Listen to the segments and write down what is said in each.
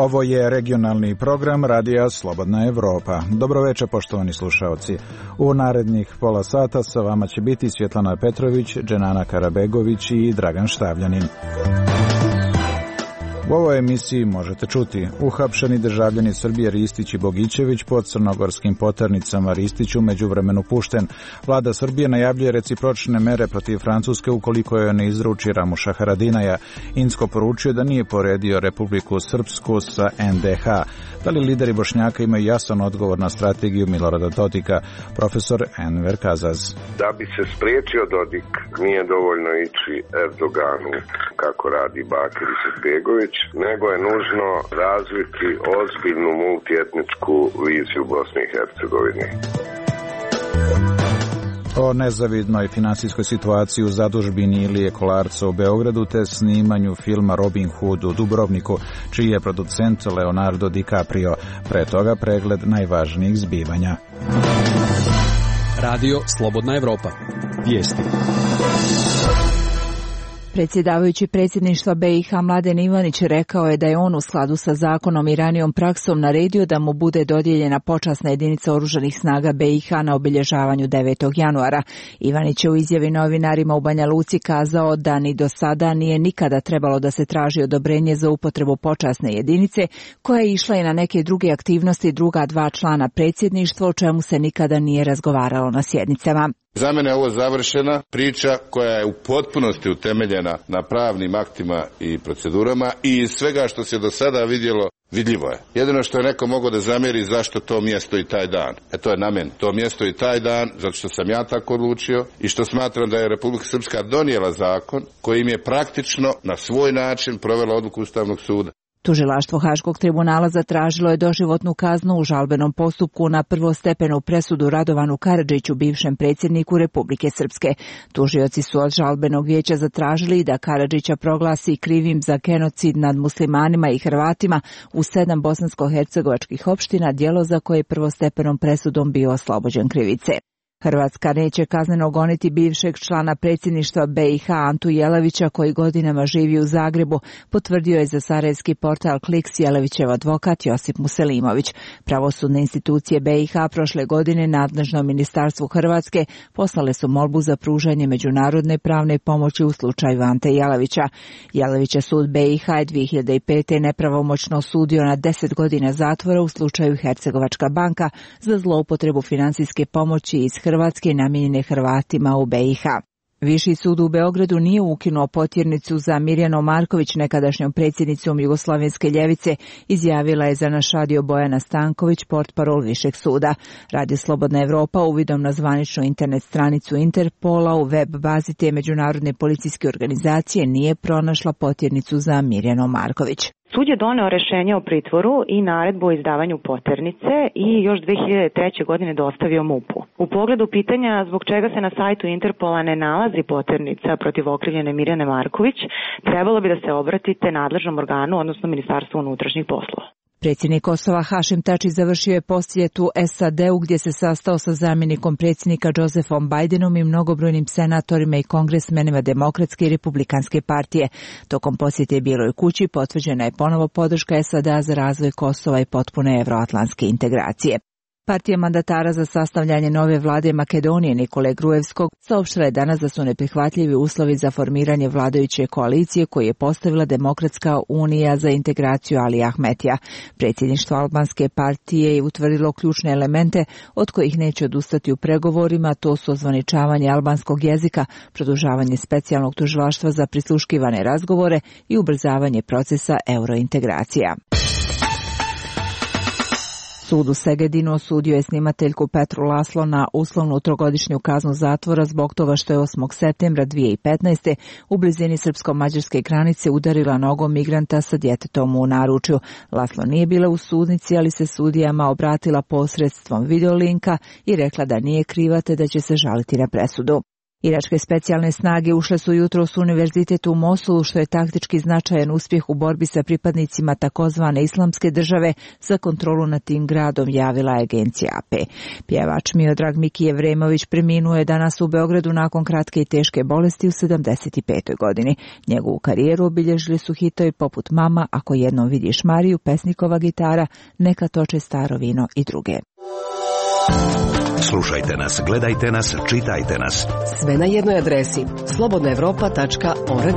Ovo je regionalni program Radija Slobodna Evropa. Dobroveče, poštovani slušaoci. U narednih pola sata sa vama će biti Svjetlana Petrović, Dženana Karabegović i Dragan Štavljanin. U ovoj emisiji možete čuti: uhapšeni državljani Srbije Ristić i Bogićević pod crnogorskim poternicama. Ristić u međuvremenu pušten. Vlada Srbije najavljuje recipročne mere protiv Francuske ukoliko joj ne izruči Ramuša Haradinaja. Incko poručuje da nije poredio Republiku Srpsku sa NDH. Da li lideri Bošnjaka imaju jasan odgovor na strategiju Milorada Dodika? Profesor Enver Kazaz. Da bi se spriječio Dodik, nije dovoljno ići Erdoganu kako radi Bakir Izetbegović, nego je nužno razviti ozbiljnu multietničku viziju Bosne i Hercegovine. O nezavidnoj finansijskoj situaciji u zadužbini Ilije Kolarca u Beogradu te snimanju filma Robin Hood u Dubrovniku, čiji je producent Leonardo DiCaprio. Pre toga pregled najvažnijih zbivanja. Radio Slobodna Evropa. Vijesti. Predsjedavajući predsjedništva BiH Mladen Ivanić rekao je da je on u skladu sa zakonom i ranijom praksom naredio da mu bude dodijeljena počasna jedinica oružanih snaga BiH na obilježavanju 9. januara. Ivanić je u izjavi novinarima u Banja Luci kazao da ni do sada nije nikada trebalo da se traži odobrenje za upotrebu počasne jedinice, koja je išla i na neke druge aktivnosti druga dva člana predsjedništva, o čemu se nikada nije razgovaralo na sjednicama. Za mene je ovo završena priča koja je u potpunosti utemeljena na pravnim aktima i procedurama i iz svega što se do sada vidjelo, vidljivo je. Jedino što je neko mogao da zamjeri zašto to mjesto i taj dan. To je na meni. To mjesto i taj dan, zato što sam ja tako odlučio i što smatram da je Republika Srpska donijela zakon kojim je praktično na svoj način provela odluku Ustavnog suda. Tužilaštvo Haškog tribunala zatražilo je doživotnu kaznu u žalbenom postupku na prvostepenu presudu Radovanu Karadžiću, bivšem predsjedniku Republike Srpske. Tužioci su od žalbenog vijeća zatražili da Karadžića proglasi krivim za genocid nad muslimanima i Hrvatima u 7 bosansko-hercegovačkih opština, djelo za koje je prvostepenom presudom bio oslobođen krivice. Hrvatska neće kazneno goniti bivšeg člana predsjedništva BiH Antu Jelavića, koji godinama živi u Zagrebu, potvrdio je za sarajevski portal Kliks Jelavićev advokat Josip Muselimović. Pravosudne institucije BiH prošle godine nadležnom ministarstvu Hrvatske poslale su molbu za pružanje međunarodne pravne pomoći u slučaju Ante Jelavića. Jelavića sud BiH je 2005. nepravomoćno osudio na 10 godina zatvora u slučaju Hercegovačka banka za zloupotrebu financijske pomoći iz Hrvatske namijenjene Hrvatima u BiH. Viši sud u Beogradu nije ukinuo potjernicu za Mirjanu Marković, nekadašnjom predsjednicom Jugoslavenske ljevice, izjavila je za naš radio Bojana Stanković, portparol Višeg suda. Radio Slobodna Evropa uvidom na zvaničnu internet stranicu Interpola u web bazi te međunarodne policijske organizacije nije pronašla potjernicu za Mirjanu Marković. Sud je doneo rješenje o pritvoru i naredbu o izdavanju poternice i još 2003. godine dostavio MUP-u. U pogledu pitanja zbog čega se na sajtu Interpola ne nalazi poternica protiv okrivljene Mirjane Marković, trebalo bi da se obratite nadležnom organu, odnosno Ministarstvu unutrašnjih poslova. Predsjednik Kosova Hašim Tači završio je posjetu SAD-u gdje se sastao sa zamjenikom predsjednika Josefom Bidenom i mnogobrojnim senatorima i kongresmenima Demokratske i Republikanske partije. Tokom posjete Bijeloj kući potvrđena je ponovo podrška SAD-a za razvoj Kosova i potpune evroatlantske integracije. Partija mandatara za sastavljanje nove vlade Makedonije Nikole Gruevskog saopštila je danas da su neprihvatljivi uslovi za formiranje vladajuće koalicije koju je postavila Demokratska unija za integraciju Ali Ahmetija. Predsjedništvo albanske partije je utvrdilo ključne elemente od kojih neće odustati u pregovorima, to su ozvaničavanje albanskog jezika, produžavanje specijalnog tužilaštva za prisluškivane razgovore i ubrzavanje procesa eurointegracija. Sud u Segedinu osudio je snimateljku Petru Laslo na uslovnu 3-godišnju kaznu zatvora zbog toga što je 8. septembra 2015. u blizini srpsko-mađarske granice udarila nogom migranta sa djetetom u naručju. Laslo nije bila u sudnici, ali se sudijama obratila posredstvom videolinka i rekla da nije kriva te da će se žaliti na presudu. Iračke specijalne snage ušle su jutros u univerzitet u Mosulu, što je taktički značajan uspjeh u borbi sa pripadnicima takozvane islamske države za kontrolu nad tim gradom, javila je agencija AP. Pjevač Miodrag Miki Jevremović preminuo je danas u Beogradu nakon kratke i teške bolesti u 75. godini. Njegovu karijeru obilježili su hitovi poput Mama, Ako jednom vidiš Mariju, Pesnikova gitara, Neka toče staro vino i druge. Slušajte nas, gledajte nas, čitajte nas. Sve na jednoj adresi slobodnaevropa.org.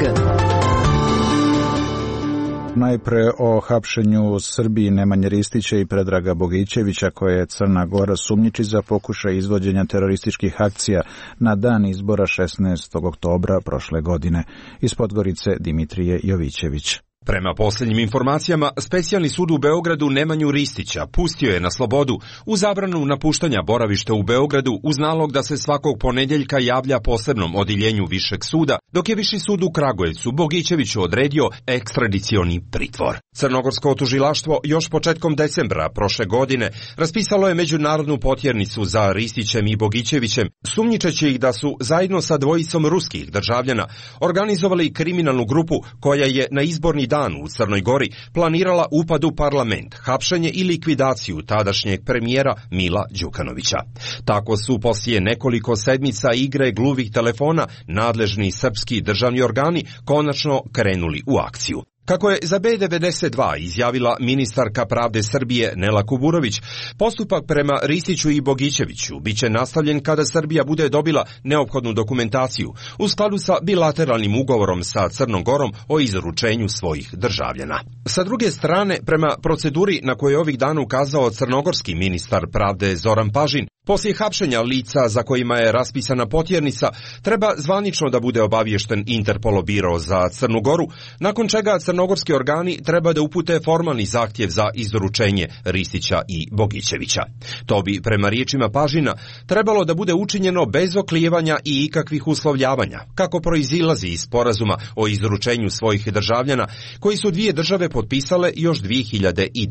Najpre o hapšenju u Srbiji Nemanje Ristića i Predraga Bogićevića, koje je Crna Gora sumnjiči za pokušaj izvođenja terorističkih akcija na dan izbora 16. oktobra prošle godine. Iz Podgorice Dimitrije Jovićević. Prema posljednjim informacijama, Specijalni sud u Beogradu Nemanju Ristića pustio je na slobodu u zabranu napuštanja boravišta u Beogradu uz nalog da se svakog ponedjeljka javlja posebnom odjeljenju Višeg suda, dok je Viši sud u Kragujevcu Bogićeviću odredio ekstradicioni pritvor. Crnogorsko tužilaštvo još početkom decembra prošle godine raspisalo je međunarodnu potjernicu za Ristićem i Bogićevićem, sumnjičeći ih da su zajedno sa dvojicom ruskih državljana organizovali kriminalnu grupu koja je na izborni dan u Crnoj Gori planirala upad u parlament, hapšenje i likvidaciju tadašnjeg premijera Mila Đukanovića. Tako su poslije nekoliko sedmica igre gluvih telefona nadležni srpski državni organi konačno krenuli u akciju. Kako je za B92 izjavila ministarka pravde Srbije Nela Kuburović, postupak prema Ristiću i Bogićeviću biće nastavljen kada Srbija bude dobila neophodnu dokumentaciju u skladu sa bilateralnim ugovorom sa Crnom Gorom o izručenju svojih državljana. Sa druge strane, prema proceduri na koju je ovih dana ukazao crnogorski ministar pravde Zoran Pažin, poslije hapšenja lica za kojima je raspisana potjernica, treba zvanično da bude obaviješten Interpolov biro za Crnu Goru, nakon čega crnogorski organi treba da upute formalni zahtjev za izručenje Ristića i Bogićevića. To bi, prema riječima Pažina, trebalo da bude učinjeno bez oklijevanja i ikakvih uslovljavanja, kako proizilazi iz sporazuma o izručenju svojih državljana, koji su dvije države potpisale još 2009.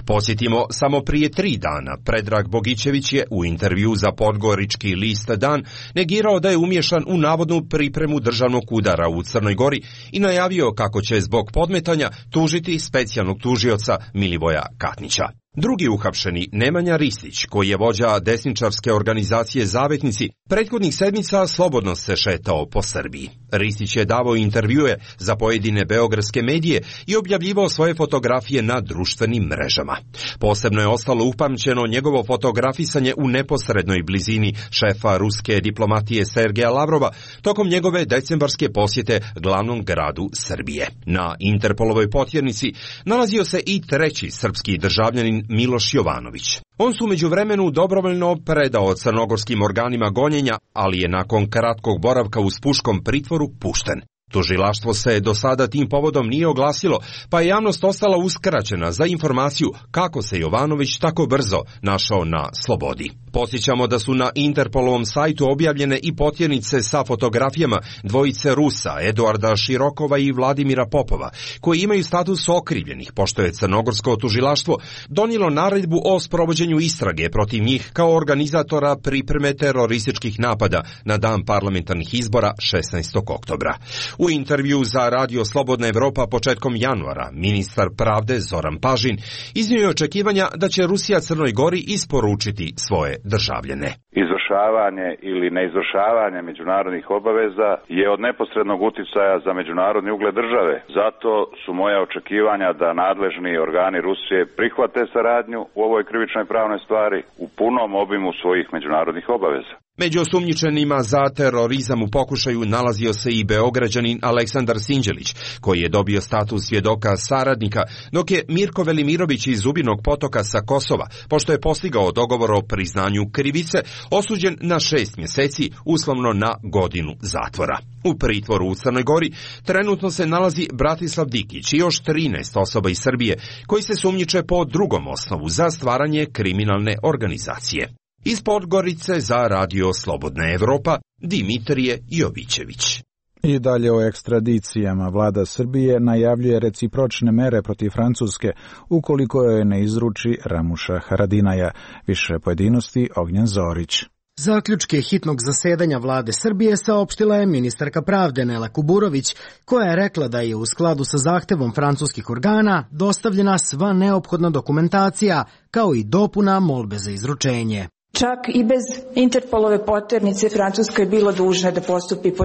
Podsjetimo, samo prije 3 dana Predrag Bogićević je u intervju za podgorički list Dan negirao da je umiješan u navodnu pripremu državnog udara u Crnoj Gori i najavio kako će zbog podmetanja tužiti specijalnog tužioca Milivoja Katnića. Drugi uhapšeni, Nemanja Ristić, koji je vođa desničarske organizacije Zavetnici, prethodnih sedmica slobodno se šetao po Srbiji. Ristić je davao intervjue za pojedine beogradske medije i objavljivao svoje fotografije na društvenim mrežama. Posebno je ostalo upamćeno njegovo fotografisanje u neposrednoj blizini šefa ruske diplomatije Sergeja Lavrova tokom njegove decembarske posjete glavnom gradu Srbije. Na Interpolovoj potjernici nalazio se i treći srpski državljanin Miloš Jovanović. On su u međuvremenu dobrovoljno predao crnogorskim organima gonjenja, ali je nakon kratkog boravka u spuškom pritvoru pušten. Tužilaštvo se do sada tim povodom nije oglasilo, pa je javnost ostala uskraćena za informaciju kako se Jovanović tako brzo našao na slobodi. Podsjećamo da su na Interpolovom sajtu objavljene i potjernice sa fotografijama dvojice Rusa, Eduarda Širokova i Vladimira Popova, koji imaju status okrivljenih, pošto je crnogorsko tužilaštvo donijelo naredbu o sprovođenju istrage protiv njih kao organizatora pripreme terorističkih napada na dan parlamentarnih izbora 16. oktobra. U intervju za Radio Slobodna Evropa početkom januara ministar pravde Zoran Pažin iznio je očekivanja da će Rusija Crnoj Gori isporučiti svoje državljane. Izvršavanje ili neizvršavanje međunarodnih obaveza je od neposrednog uticaja za međunarodni ugled države. Zato su moja očekivanja da nadležni organi Rusije prihvate saradnju u ovoj krivičnoj pravnoj stvari u punom obimu svojih međunarodnih obaveza. Među osumnjičenima za terorizam u pokušaju nalazio se i Beograđanin Aleksandar Sinđelić, koji je dobio status svjedoka saradnika, dok je Mirko Velimirović iz Zubinog Potoka sa Kosova, pošto je postigao dogovor o priznanju krivice, osuđen na 6 mjeseci, uslovno na godinu zatvora. U pritvoru u Crnoj Gori trenutno se nalazi Bratislav Dikić i još 13 osoba iz Srbije, koji se sumnjiče po drugom osnovu za stvaranje kriminalne organizacije. Iz Podgorice za Radio Slobodna Evropa, Dimitrije Jovićević. I dalje o ekstradicijama. Vlada Srbije najavljuje recipročne mere protiv Francuske ukoliko joj ne izruči Ramuša Haradinaja. Više pojedinosti Ognjen Zorić. Zaključke hitnog zasedanja vlade Srbije saopštila je ministarka pravde Nela Kuburović, koja je rekla da je u skladu sa zahtevom francuskih organa dostavljena sva neophodna dokumentacija, kao i dopuna molbe za izručenje. Čak i bez Interpolove poternice Francuska je bila dužna da postupi po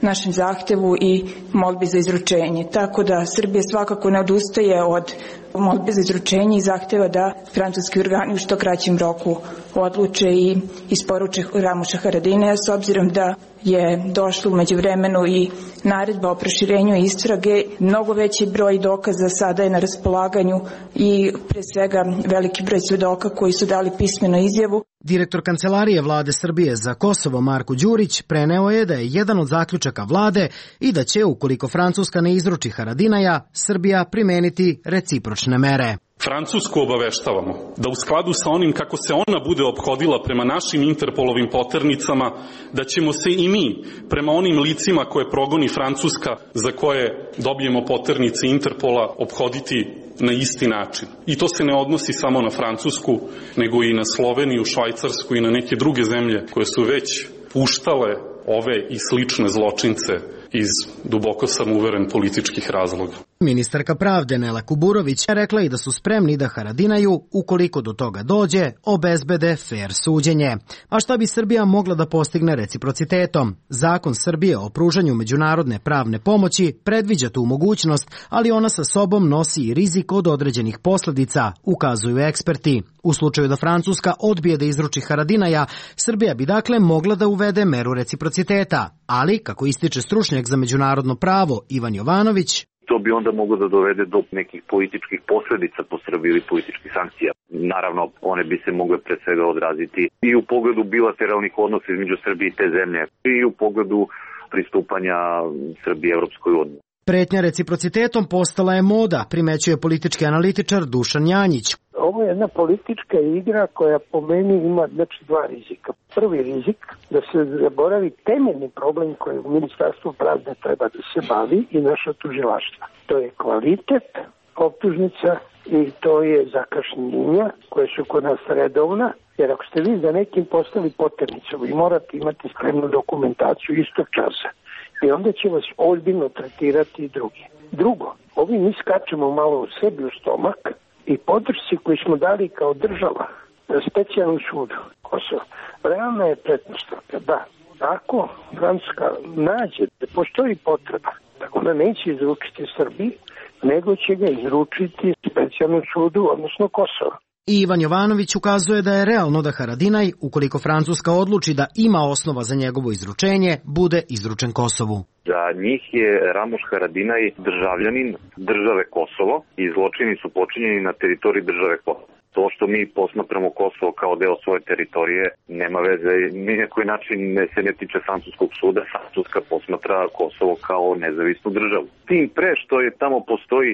našem zahtevu i molbi za izručenje. Tako da Srbija svakako ne odustaje od molbe za izručenje i zahteva da francuski organi u što kraćem roku odluče i isporuče Ramuša Haradinaja, s obzirom da je došlo u međuvremenu i naredba o proširenju istrage. Mnogo veći broj dokaza sada je na raspolaganju i pre svega veliki broj svedoka koji su dali pismenu izjavu. Direktor Kancelarije vlade Srbije za Kosovo Marko Đurić preneo je da je jedan od zaključaka vlade i da će, ukoliko Francuska ne izruči Haradinaja, Srbija primeniti recipročne mere. Francusku obaveštavamo da u skladu sa onim kako se ona bude ophodila prema našim Interpolovim poternicama, da ćemo se i mi prema onim licima koje progoni Francuska, za koje dobijemo poternice Interpola, ophoditi na isti način. I to se ne odnosi samo na Francusku, nego i na Sloveniju, Švajcarsku i na neke druge zemlje koje su već puštale ove i slične zločince iz, duboko sam uveren, političkih razloga. Ministarka pravde Nela Kuburović je rekla i da su spremni da Haradinaju, ukoliko do toga dođe, obezbede fer suđenje. A šta bi Srbija mogla da postigne reciprocitetom? Zakon Srbije o pružanju međunarodne pravne pomoći predviđa tu mogućnost, ali ona sa sobom nosi i rizik od određenih posledica, ukazuju eksperti. U slučaju da Francuska odbije da izruči Haradinaja, Srbija bi dakle mogla da uvede meru reciprociteta, ali, kako ističe stručnjak za međunarodno pravo Ivan Jovanović, to bi onda moglo da dovede do nekih političkih posledica po Srbiji ili političkih sankcija. Naravno, one bi se mogle pre svega odraziti i u pogledu bilateralnih odnosa između Srbije i te zemlje i u pogledu pristupanja Srbije Evropskoj uniji. Pretnja reciprocitetom postala je moda, primećuje politički analitičar Dušan Janjić. Ovo je jedna politička igra koja po meni ima dva rizika. Prvi rizik da se zaboravi temeljni problem koji u Ministarstvu pravde treba da se bavi i naša tužilaštva. To je kvalitet optužnica i to je zakašnjenja koje su kod nas redovna, jer ako ste vi za nekim postali poternicom, vi morate imati spremnu dokumentaciju istog časa. I onda će vas ozbiljno tretirati i drugi. Drugo, ovi mi skačemo malo u sebi u stomak i podršci koji smo dali kao država na specijalnom sudu Kosova. Realna je pretpostavka da ako Francuska nađe da postoji potreba, da ona neće izručiti Srbiji, nego će ga izručiti specijalnom sudu, odnosno Kosovo. I Ivan Jovanović ukazuje da je realno da Haradinaj, ukoliko Francuska odluči da ima osnova za njegovo izručenje, bude izručen Kosovu. Za njih je Ramuš Haradinaj državljanin države Kosovo i zločini su počinjeni na teritoriji države Kosovo. To što mi posmatramo Kosovo kao deo svoje teritorije nema veze, ni na koji način se ne tiče francuskog suda. Francuska posmatra Kosovo kao nezavisnu državu. Tim pre što je tamo postoji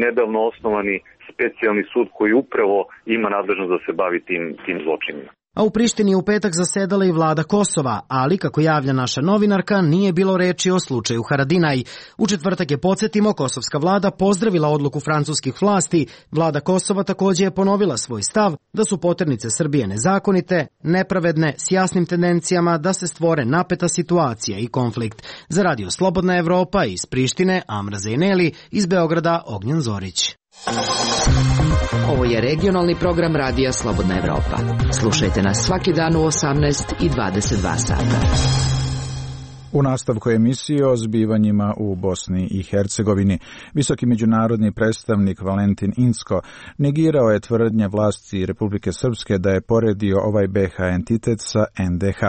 nedavno osnovani specijalni sud koji upravo ima nadležnost da se bavi tim zločinima. A u Prištini je u petak zasedala i vlada Kosova, ali, kako javlja naša novinarka, nije bilo reči o slučaju Haradinaj. U četvrtak je, podsjetimo, kosovska vlada pozdravila odluku francuskih vlasti. Vlada Kosova također je ponovila svoj stav da su poternice Srbije nezakonite, nepravedne, s jasnim tendencijama da se stvore napeta situacija i konflikt. Za Radio Slobodna Evropa iz Prištine, Amra Zejneli, iz Beograda Ognjen Zorić. Ovo je regionalni program Radija Slobodna Evropa. Slušajte nas svaki dan u 18 i 22 sata. U nastavku emisije o zbivanjima u Bosni i Hercegovini, visoki međunarodni predstavnik Valentin Incko negirao je tvrdnje vlasti Republike Srpske da je poredio ovaj BiH entitet sa NDH,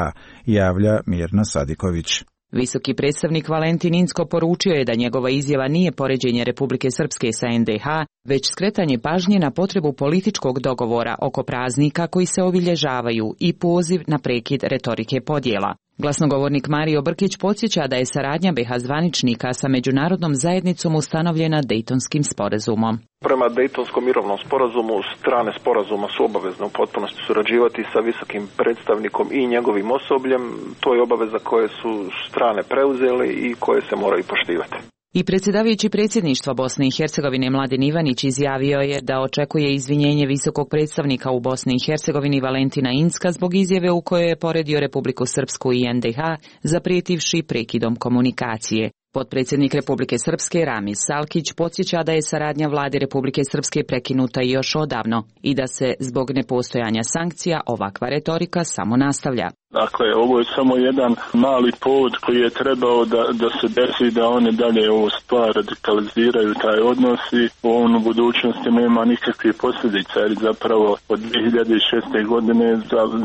javlja Mirna Sadiković. Visoki predstavnik Valentin Incko poručio je da njegova izjava nije poređenje Republike Srpske sa NDH, već skretanje pažnje na potrebu političkog dogovora oko praznika koji se obilježavaju i poziv na prekid retorike podjela. Glasnogovornik Mario Brkić podsjeća da je saradnja BiH zvaničnika sa međunarodnom zajednicom ustanovljena Dejtonskim sporazumom. Prema Dejtonskom mirovnom sporazumu, strane sporazuma su obavezne u potpunosti surađivati sa visokim predstavnikom i njegovim osobljem. To je obaveza koje su strane preuzeli i koje se moraju poštivati. I predsjedavajući predsjedništva Bosne i Hercegovine Mladen Ivanić izjavio je da očekuje izvinjenje visokog predstavnika u Bosni i Hercegovini Valentina Incka zbog izjave u kojoj je poredio Republiku Srpsku i NDH, zaprijetivši prekidom komunikacije. Potpredsjednik Republike Srpske Ramiz Salkić podsjeća da je saradnja vlade Republike Srpske prekinuta još odavno i da se zbog nepostojanja sankcija ovakva retorika samo nastavlja. Dakle, ovo je samo jedan mali povod koji je trebao da se desi, da one dalje ovo stvar radikaliziraju taj odnos i on u budućnosti nema nikakvih posljedica, jer zapravo od 2006. godine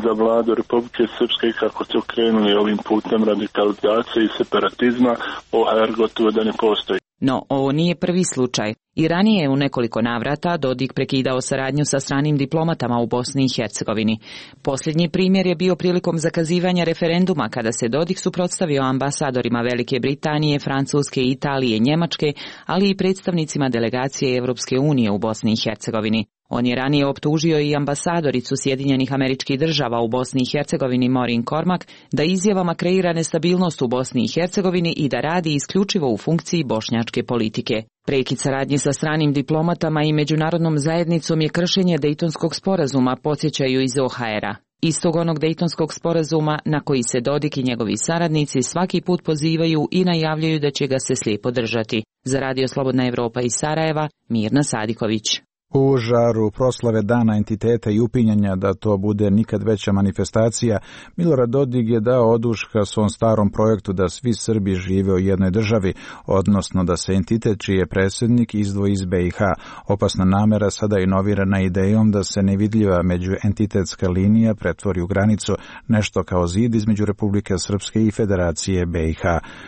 za vladu Republike Srpske kako su krenuli ovim putem radikalizacije i separatizma, OHR gotovo da ne postoji. No, ovo nije prvi slučaj. I ranije je u nekoliko navrata Dodik prekidao saradnju sa stranim diplomatama u Bosni i Hercegovini. Posljednji primjer je bio prilikom zakazivanja referenduma kada se Dodik suprotstavio ambasadorima Velike Britanije, Francuske, Italije, Njemačke, ali i predstavnicima delegacije Evropske unije u Bosni i Hercegovini. On je ranije optužio i ambasadoricu Sjedinjenih Američkih Država u Bosni i Hercegovini Maureen Cormack da izjavama kreira nestabilnost u Bosni i Hercegovini i da radi isključivo u funkciji bošnjačke politike. Prekid saradnje sa stranim diplomatama i međunarodnom zajednicom je kršenje Dejtonskog sporazuma, podsjećaju iz OHR-a. Istog onog Dejtonskog sporazuma na koji se Dodik i njegovi saradnici svaki put pozivaju i najavljaju da će ga se slijepo držati. Za Radio Slobodna Evropa iz Sarajeva, Mirna Sadiković. U žaru proslave Dana entiteta i upinjanja da to bude nikad veća manifestacija, Milorad Dodik je dao oduška svom starom projektu da svi Srbi žive u jednoj državi, odnosno da se entitet čiji je predsjednik izdvoji iz BiH. Opasna namera sada je inovirana idejom da se nevidljiva međuentitetska linija pretvori u granicu, nešto kao zid između Republike Srpske i Federacije BiH.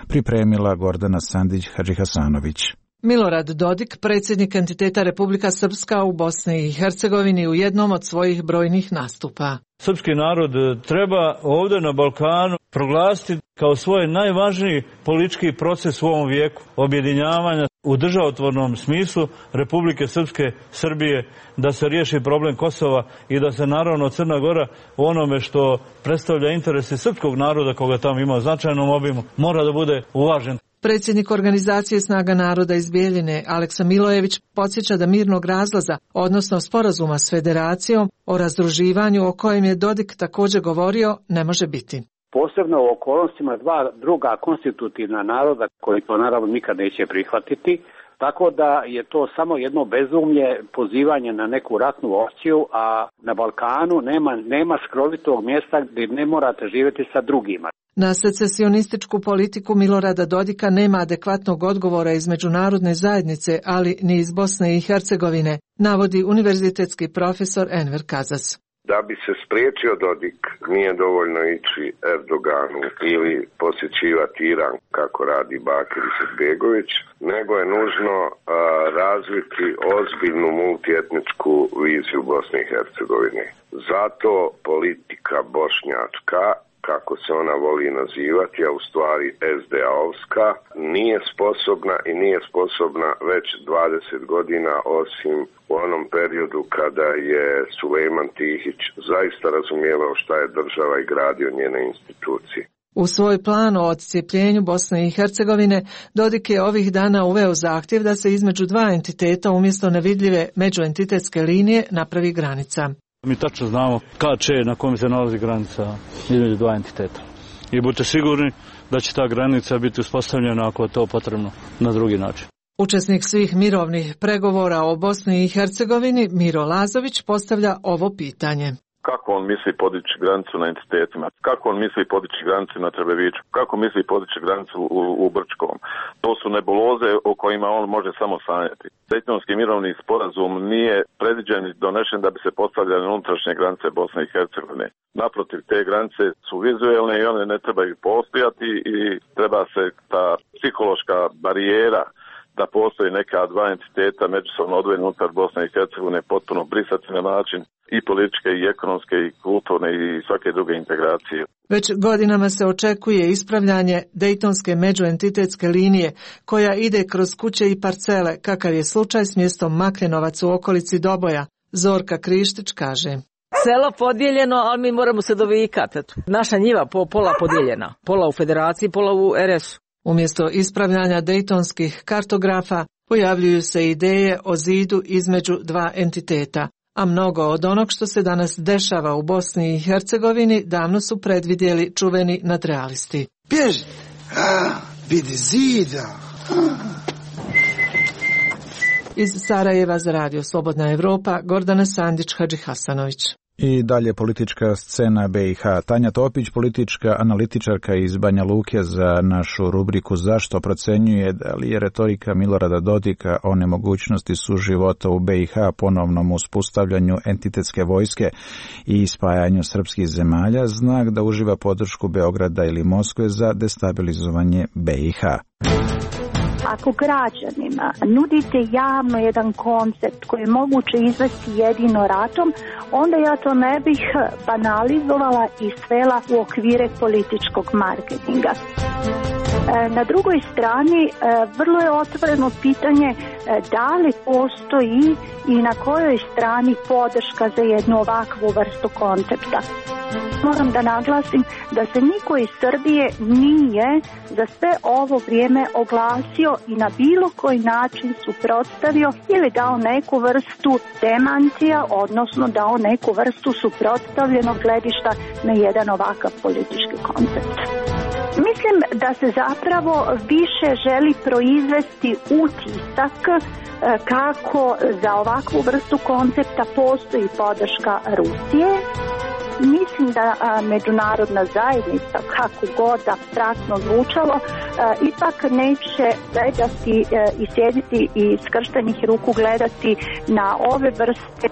Pripremila Gordana Sandić-Hadžihasanović. Milorad Dodik, predsjednik entiteta Republika Srpska u Bosni i Hercegovini, u jednom od svojih brojnih nastupa. Srpski narod treba ovdje na Balkanu proglasiti kao svoj najvažniji politički proces u ovom vijeku objedinjavanja u državotvornom smislu Republike Srpske, Srbije, da se riješi problem Kosova i da se naravno Crna Gora u onome što predstavlja interese srpskog naroda, koga tamo ima u značajnom obimu, mora da bude uvažen. Predsjednik organizacije Snaga naroda iz Bijeljine, Aleksa Milojević, podsjeća da mirnog razlaza, odnosno sporazuma s federacijom o razdruživanju o kojem je Dodik također govorio, ne može biti. Posebno u okolnostima dva druga konstitutivna naroda koji to naravno nikad neće prihvatiti, tako da je to samo jedno bezumlje, pozivanje na neku ratnu opciju, a na Balkanu nema skrovitog mjesta gdje ne morate živjeti sa drugima. Na secesionističku politiku Milorada Dodika nema adekvatnog odgovora iz međunarodne zajednice, ali ni iz Bosne i Hercegovine, navodi univerzitetski profesor Enver Kazas. Da bi se spriječio Dodik, nije dovoljno ići Erdoganu ili posjećivati Iran kako radi Bakir Izetbegović, nego je nužno razviti ozbiljnu multietničku viziju Bosne i Hercegovine. Zato politika bošnjačka, kako se ona voli nazivati, a u stvari SDA-ovska, nije sposobna već 20 godina, osim u onom periodu kada je Sulejman Tihić zaista razumijevao šta je država i gradio njene institucije. U svoj plan o odcijepljenju Bosne i Hercegovine, Dodik je ovih dana uveo zahtjev da se između dva entiteta umjesto nevidljive međuentitetske linije napravi granica. Mi tačno znamo na kojem se nalazi granica između dva entiteta. I budite sigurni da će ta granica biti uspostavljena ako je to potrebno na drugi način. Učesnik svih mirovnih pregovora o Bosni i Hercegovini, Miro Lazović, postavlja ovo pitanje. Kako on misli podići granicu na entitetima? Kako on misli podići granicu na Trebeviću? Kako misli podići granicu u Brčkom? To su nebuloze o kojima on može samo sanjati. Dejtonski mirovni sporazum nije predviđen i donešen da bi se postavljale unutrašnje granice Bosne i Hercegovine. Naprotiv, te granice su vizuelne i one ne trebaju postojati i treba se ta psihološka barijera da postoji neka dva entiteta međusobno odvojeni unutar Bosne i Hercegovine potpuno brisati na način i političke i ekonomske i kulturne i svake druge integracije. Već godinama se očekuje ispravljanje Dejtonske međuentitetske linije koja ide kroz kuće i parcele, kakav je slučaj s mjestom Makljenovac u okolici Doboja. Zorka Krištić kaže: Selo podijeljeno, ali mi moramo se dovikati. Naša njiva pola podijeljena. Pola u federaciji, pola u RS-u. Umjesto ispravljanja dejtonskih kartografa pojavljuju se ideje o zidu između dva entiteta, a mnogo od onog što se danas dešava u Bosni i Hercegovini davno su predvidjeli čuveni nadrealisti. Bježi! Vidi zida! Iz Sarajeva za Radio Slobodna Evropa, Gordana Sandić, Hadži Hasanović. I dalje politička scena BiH. Tanja Topić, politička analitičarka iz Banja Luke, za našu rubriku Zašto procenjuje da li je retorika Milorada Dodika o nemogućnosti suživota u BiH, ponovnom uspostavljanju entitetske vojske i spajanju srpskih zemalja znak da uživa podršku Beograda ili Moskve za destabilizovanje BiH. Ako građanima nudite javno jedan koncept koji je moguće izvesti jedino ratom, onda ja to ne bih banalizovala i svela u okvire političkog marketinga. Na drugoj strani, vrlo je otvoreno pitanje da li postoji i na kojoj strani podrška za jednu ovakvu vrstu koncepta. Moram da naglasim da se niko iz Srbije nije za sve ovo vrijeme oglasio i na bilo koji način suprotstavio ili dao neku vrstu demantija, odnosno dao neku vrstu suprotstavljenog gledišta na jedan ovakav politički koncept. Mislim da se zapravo više želi proizvesti utisak kako za ovakvu vrstu koncepta postoji podrška Rusije. Mislim da međunarodna zajednica, kako god apstraktno zvučalo, ipak neće gledati i sjediti i skrštenih ruku gledati na ove vrste,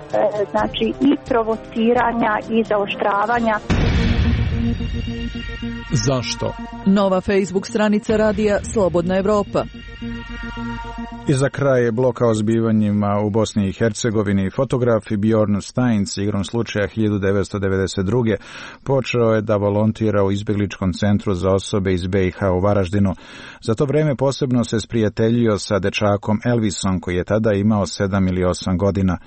znači i provociranja i zaoštravanja. Zašto? Nova Facebook stranica radija Slobodna Evropa. I za kraj bloka o zbivanjima u Bosni i Hercegovini, fotograf Bjorn Steins, igrom slučaja 1992. počeo je da volontira u izbjegličkom centru za osobe iz BiH u Varaždinu. Za to vrijeme posebno se sprijateljio sa dečakom Elvisom, koji je tada imao 7 ili 8 godina.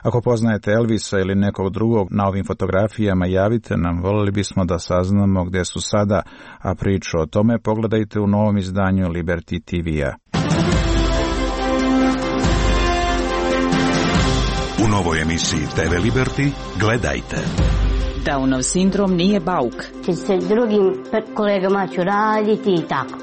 Ako poznajete Elvisa ili nekog drugog na ovim fotografijama, javite nam, voljeli bismo da saznamo gdje su sada, a priču o tome pogledajte u novom izdanju Liberty TV-a. U novoj emisiji TV Liberty gledajte. Downov sindrom nije bauk. Sa drugim kolegama ću raditi i tako.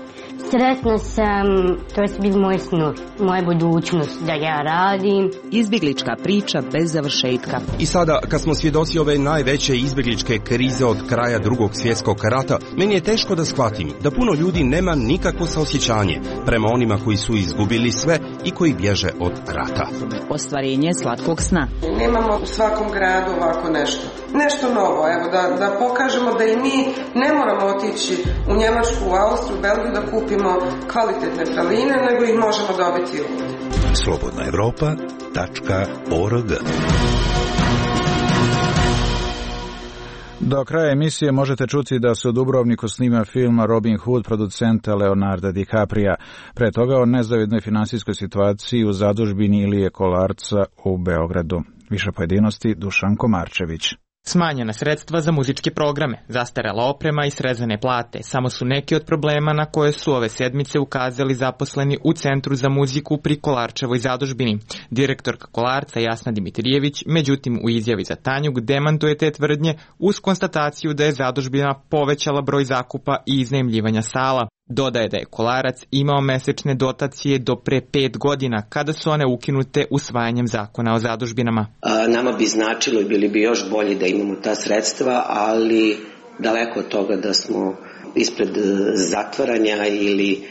Sretna sam, to je bil moj snov, moja budućnost da ja radim. Izbjeglička priča bez završetka. I sada, kad smo svjedoci ove najveće izbjegličke krize od kraja Drugog svjetskog rata, meni je teško da shvatim da puno ljudi nema nikakvo saosjećanje prema onima koji su izgubili sve i koji bježe od rata. Ostvarenje slatkog sna. Nemamo u svakom gradu ovako nešto. Nešto novo, evo, da pokažemo da i mi ne moramo otići u Njemačku, u Austriju, u Belgiju da kupimo kvalitetne praline, nego ih možemo dobiti ovdje. slobodnaevropa.org. Do kraja emisije možete čuti da se u Dubrovniku snima film Robin Hood producenta Leonarda DiCaprija. Pre toga o nezavidnoj finansijskoj situaciji u zadužbini Ilije Kolarca u Beogradu. Više pojedinosti Dušan Komarčević. Smanjena sredstva za muzičke programe, zastarela oprema i srezane plate samo su neki od problema na koje su ove sedmice ukazali zaposleni u Centru za muziku pri Kolarčevoj zadužbini. Direktorka Kolarca Jasna Dimitrijević, međutim u izjavi za Tanjug demantuje te tvrdnje uz konstataciju da je zadužbina povećala broj zakupa i iznajmljivanja sala. Dodaje da je Kolarac imao mesečne dotacije do pre 5 godina, kada su one ukinute usvajanjem zakona o zadužbinama. Nama bi značilo i bili bi još bolji da imamo ta sredstva, ali daleko od toga da smo ispred zatvaranja ili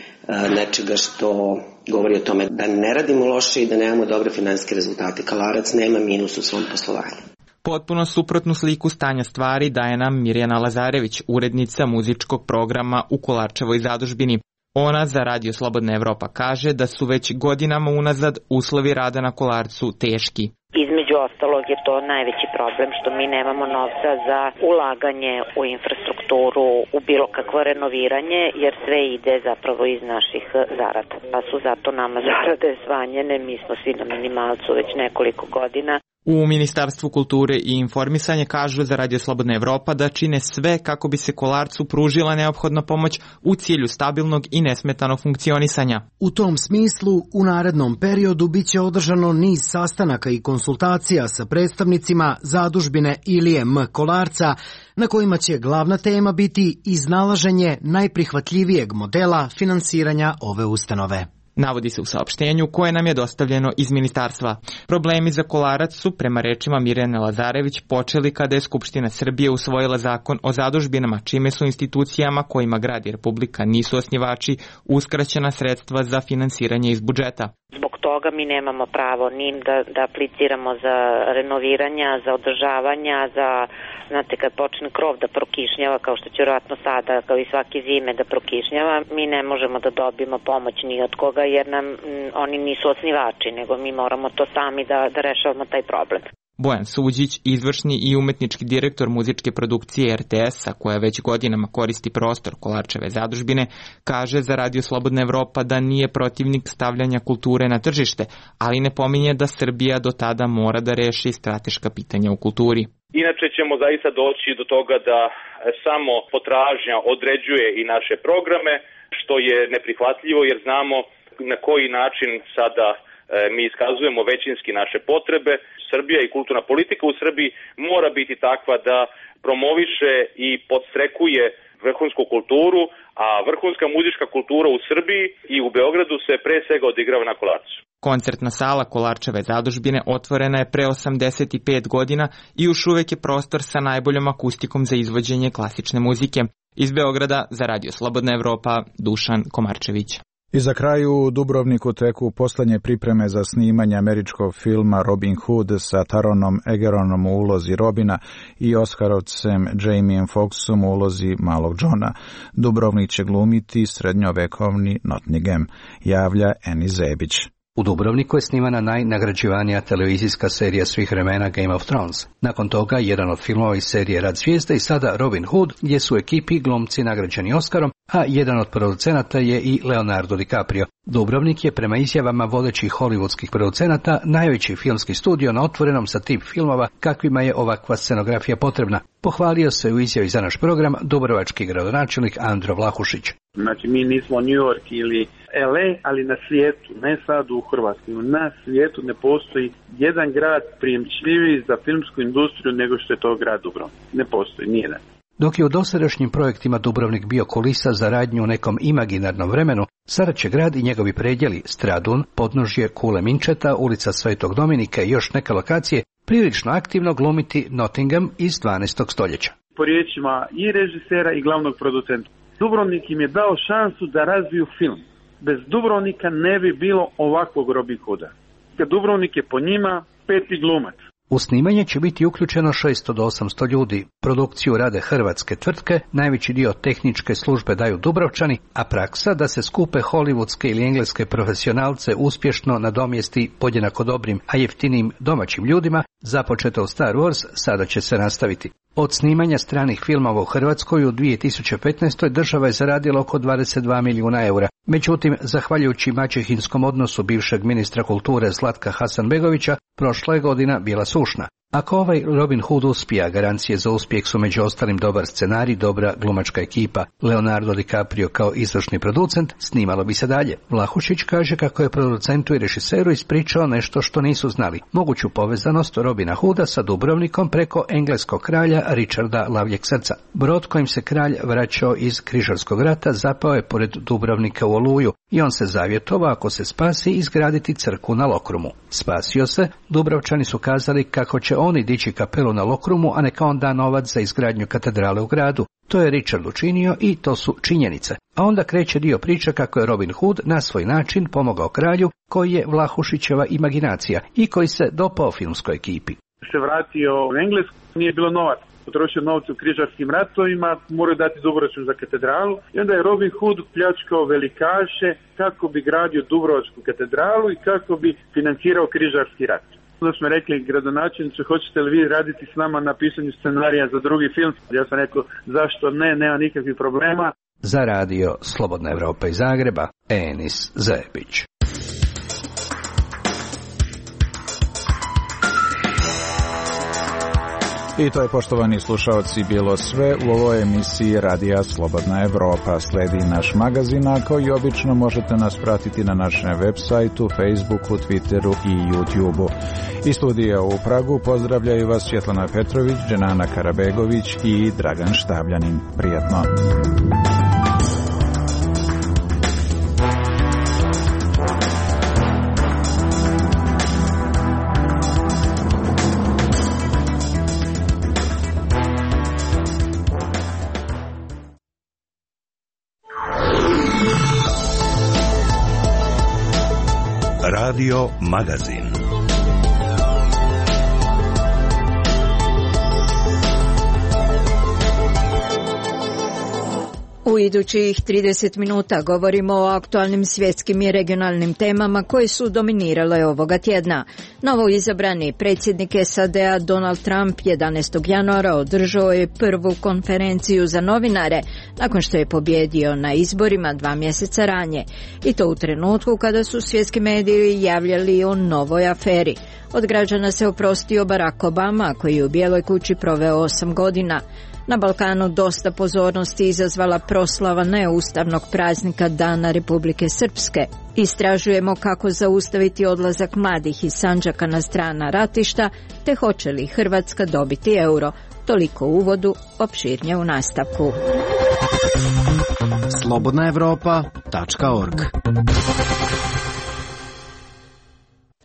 nečega što govori o tome da ne radimo loše i da nemamo dobre finansijske rezultate. Kolarac nema minus u svom poslovanju. Potpuno suprotnu sliku stanja stvari daje nam Mirjana Lazarević, urednica muzičkog programa u Kolarčevoj zadužbini. Ona za Radio Slobodna Evropa kaže da su već godinama unazad uslovi rada na Kolarcu teški. Između ostalog je to najveći problem što mi nemamo novca za ulaganje u infrastrukturu, u bilo kakvo renoviranje, jer sve ide zapravo iz naših zarada. Pa su zato nama zarade smanjene, mi smo svi na minimalcu već nekoliko godina. U Ministarstvu kulture i informisanja kažu za Radio Slobodna Evropa da čine sve kako bi se Kolarcu pružila neophodna pomoć u cilju stabilnog i nesmetanog funkcionisanja. U tom smislu, u narednom periodu biće održano niz sastanaka i konsultacija sa predstavnicima zadužbine Ilije M. Kolarca, na kojima će glavna tema biti iznalaženje najprihvatljivijeg modela finansiranja ove ustanove. Navodi se u saopštenju koje nam je dostavljeno iz ministarstva. Problemi za Kolarac su, prema rečima Mirjane Lazarević, počeli kada je Skupština Srbije usvojila zakon o zadužbinama, čime su institucijama kojima grad i Republika nisu osnivači uskraćena sredstva za finansiranje iz budžeta. Zbog toga mi nemamo pravo ni da apliciramo za renoviranja, za održavanja, znate, kad počne krov da prokišnjava, kao što će vjerojatno sada, kao i svake zime da prokišnjava, mi ne možemo da dobijemo pomoć ni od koga, jer nam oni nisu osnivači, nego mi moramo to sami da rešavamo taj problem. Bojan Suđić, izvršni i umetnički direktor muzičke produkcije RTS-a, koja već godinama koristi prostor Kolarčeve zadužbine, kaže za Radio Slobodna Evropa da nije protivnik stavljanja kulture na tržište, ali ne pominje da Srbija do tada mora da reši strateška pitanja u kulturi. Inače ćemo zaista doći do toga da samo potražnja određuje i naše programe, što je neprihvatljivo jer znamo na koji način sada mi iskazujemo većinski naše potrebe. Srbija i kulturna politika u Srbiji mora biti takva da promoviše i podstrekuje vrhunsku kulturu, a vrhunska muzička kultura u Srbiji i u Beogradu se pre svega odigrava na Kolarcu. Koncertna sala Kolarčeve zadužbine otvorena je pre 85 godina i još uvek je prostor sa najboljom akustikom za izvođenje klasične muzike. Iz Beograda za Radio Slobodna Evropa, Dušan Komarčević. I za kraju u Dubrovniku teku poslednje pripreme za snimanje američkog filma Robin Hood sa Taronom Egeronom u ulozi Robina i Oskarovcem Jamiem Foxxom u ulozi Malog Johna. Dubrovnik će glumiti srednjovekovni Nottingham, javlja Eni Zebić. U Dubrovniku je snimana najnagrađivanija televizijska serija svih vremena Game of Thrones. Nakon toga, jedan od filmova iz serije Rad zvijezde i sada Robin Hood, gdje su u ekipi glumci nagrađeni Oskarom, a jedan od producenata je i Leonardo DiCaprio. Dubrovnik je prema izjavama vodećih hollywoodskih producenata najveći filmski studio na otvorenom sa tip filmova kakvima je ovakva scenografija potrebna. Pohvalio se u izjavi za naš program dubrovački gradonačelnik Andro Vlahušić. Znači mi nismo New York ili LA, ali na svijetu, ne sad u Hrvatskoj, na svijetu ne postoji jedan grad prijemčljiviji za filmsku industriju nego što je to grad Dubrovnik. Ne postoji, nijedan. Dok je u dosadašnjim projektima Dubrovnik bio kulisa za radnju u nekom imaginarnom vremenu, sada će grad i njegovi predjeli Stradun, podnožje Kule Minčeta, ulica Svetog Dominika i još neke lokacije prilično aktivno glumiti Nottingham iz 12. stoljeća. Po riječima i režisera i glavnog producenta, Dubrovnik im je dao šansu da razviju film. Bez Dubrovnika ne bi bilo ovakvog Robin Hooda. Dubrovnik je po njima peti glumac. U snimanje će biti uključeno 600 do 800 ljudi. Produkciju rade hrvatske tvrtke, najveći dio tehničke službe daju Dubrovčani, a praksa da se skupe hollywoodske ili engleske profesionalce uspješno nadomjesti podjednako dobrim, a jeftinim domaćim ljudima, započeto u Star Wars, sada će se nastaviti. Od snimanja stranih filmova u Hrvatskoj u 2015. država je zaradila oko 22 milijuna eura. Međutim, zahvaljujući maćehinskom odnosu bivšeg ministra kulture Zlatka Hasanbegovića, prošla je godina bila sušna. Ako ovaj Robin Hood uspija, garancije za uspjeh su među ostalim dobar scenarij, dobra glumačka ekipa. Leonardo DiCaprio kao izvršni producent, snimalo bi se dalje. Vlahušić kaže kako je producentu i režiseru ispričao nešto što nisu znali. Moguću povezanost Robina Hooda sa Dubrovnikom preko engleskog kralja Richarda Lavljeg srca. Brod kojim se kralj vraćao iz Križarskog rata zapao je pored Dubrovnika u oluju i on se zavjetovao ako se spasi izgraditi crkvu na Lokrumu. Spasio se, Dubrovčani su kazali kako će oni dići kapelu na Lokrumu, a neka on da novac za izgradnju katedrale u gradu. To je Richard učinio i to su činjenice. A onda kreće dio priče kako je Robin Hood na svoj način pomogao kralju, koji je Vlahušićeva imaginacija i koji se dopao filmskoj ekipi. Se vratio u Englesku, nije bilo novac. Potrošio novce u križarskim ratovima, moraju dati Dubrovačku za katedralu i onda je Robin Hood pljačkao velikaše kako bi gradio Dubrovačku katedralu i kako bi financirao križarski rat. Onda smo rekli gradonačelniče, hoćete li vi raditi s nama na pisanju scenarija za drugi film? Ja sam rekao, zašto ne, nema nikakvih problema. Za radio Slobodna Evropa iz Zagreba, Enis Zebić. I to je, poštovani slušaoci, bilo sve u ovoj emisiji Radija Slobodna Evropa. Sledi naš magazin, a kao i obično možete nas pratiti na našem web sajtu, Facebooku, Twitteru i YouTubeu. Iz studija u Pragu pozdravljaju vas Svjetlana Petrović, Dženana Karabegović i Dragan Štavljanin. Prijatno! Radio Magazin. U idućih 30 minuta govorimo o aktualnim svjetskim i regionalnim temama koje su dominirale ovoga tjedna. Novo izabrani predsjednik SAD-a Donald Trump 11. januara održao je prvu konferenciju za novinare nakon što je pobjedio na izborima 2 mjeseca ranije. I to u trenutku kada su svjetski mediji javljali o novoj aferi. Od građana se oprostio Barack Obama, koji je u Bijeloj kući proveo 8 godina. Na Balkanu dosta pozornosti izazvala proslava neustavnog praznika Dana Republike Srpske. Istražujemo kako zaustaviti odlazak mladih iz Sandžaka na strana ratišta, te hoće li Hrvatska dobiti euro. Toliko u uvodu, opširnije u nastavku. slobodnaevropa.org.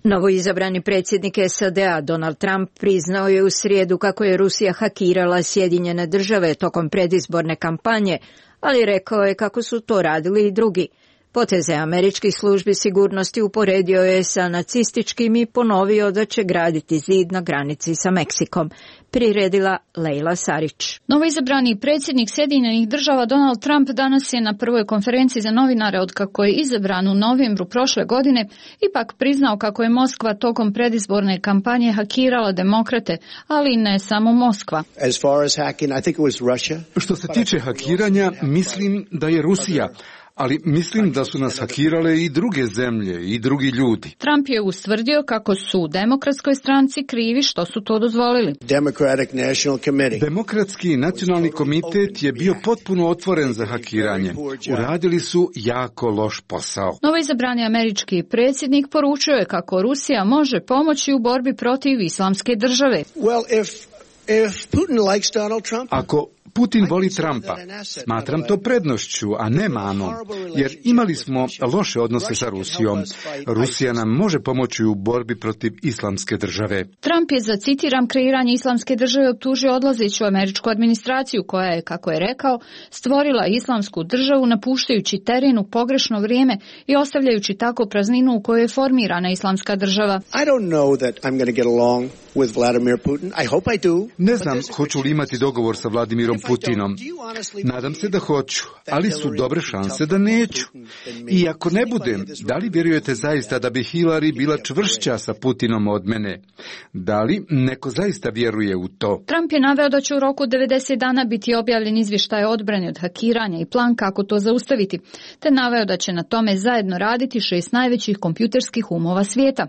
Novoizabrani predsjednik SAD-a Donald Trump priznao je u srijedu kako je Rusija hakirala Sjedinjene države tokom predizborne kampanje, ali rekao je kako su to radili i drugi. Poteze američkih službi sigurnosti uporedio je sa nacističkim i ponovio da će graditi zid na granici sa Meksikom. Priredila Lejla Sarić. Novoizabrani predsjednik Sjedinjenih država Donald Trump danas je na prvoj konferenciji za novinare otkako je izabran u novembru prošle godine ipak priznao kako je Moskva tokom predizborne kampanje hakirala demokrate, ali ne samo Moskva. Što se tiče hakiranja, mislim da je Rusija, ali mislim da su nas hakirale i druge zemlje i drugi ljudi. Trump je ustvrdio kako su u Demokratskoj stranci krivi što su to dozvolili. Demokratski nacionalni komitet je bio potpuno otvoren za hakiranje. Uradili su jako loš posao. Novoizabrani američki predsjednik poručio je kako Rusija može pomoći u borbi protiv islamske države. Ako Putin voli Trumpa, smatram to prednošću, a ne manom, jer imali smo loše odnose sa Rusijom. Rusija nam može pomoći u borbi protiv islamske države. Trump je za, citiram, kreiranje islamske države optužio odlazeću američku administraciju koja je, kako je rekao, stvorila islamsku državu napuštajući teren u pogrešno vrijeme i ostavljajući tako prazninu u kojoj je formirana islamska država. Ne znam hoću li imati dogovor sa Vladimirom Putinom. Nadam se da hoću, ali su dobre šanse da neću. I ako ne budem, da li vjerujete zaista da bi Hillary bila čvršća sa Putinom od mene? Da li neko zaista vjeruje u to? Trump je naveo da će u roku 90 dana biti objavljen izvještaj o odbrani od hakiranja i plan kako to zaustaviti, te naveo da će na tome zajedno raditi 6 najvećih kompjuterskih umova svijeta.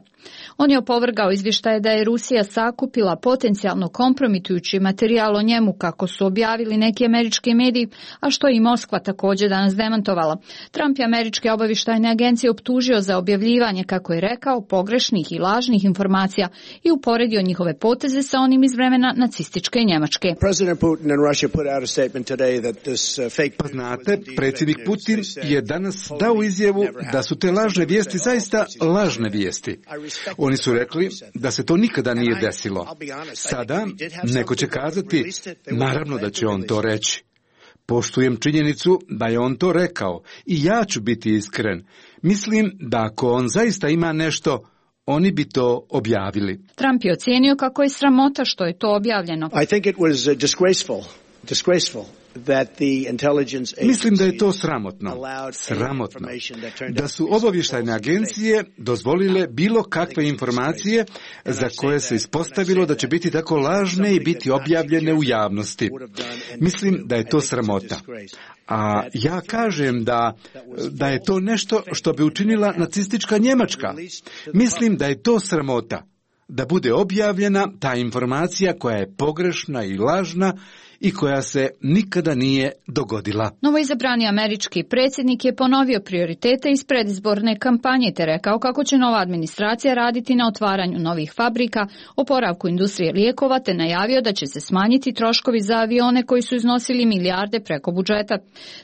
On je opovrgao izvještaje da je Rusija sakupila potencijalno kompromitujući materijal o njemu kako su objavili neki američki mediji, a što je i Moskva također danas demantovala. Trump je američke obavještajne agencije optužio za objavljivanje, kako je rekao, pogrešnih i lažnih informacija i uporedio njihove poteze sa onim iz vremena nacističke Njemačke. Pa znate, predsjednik Putin je danas dao izjavu da su te lažne vijesti zaista lažne vijesti. Oni su rekli da se to nikada nije desilo. Sada neko će kazati, naravno da će on to reći. Poštujem činjenicu da je on to rekao i ja ću biti iskren. Mislim da ako on zaista ima nešto, oni bi to objavili. Trump je ocijenio kako je sramota što je to objavljeno. Mislim da je to sramotno, da su obavještajne agencije dozvolile bilo kakve informacije za koje se ispostavilo da će biti tako lažne i biti objavljene u javnosti. Mislim da je to sramota. A ja kažem da je to nešto što bi učinila nacistička Njemačka. Mislim da je to sramota. da bude objavljena ta informacija koja je pogrešna i lažna i koja se nikada nije dogodila. Novoizabrani američki predsjednik je ponovio prioritete iz predizborne kampanje te rekao kako će nova administracija raditi na otvaranju novih fabrika, oporavku industrije lijekova te najavio da će se smanjiti troškovi za avione koji su iznosili milijarde preko budžeta.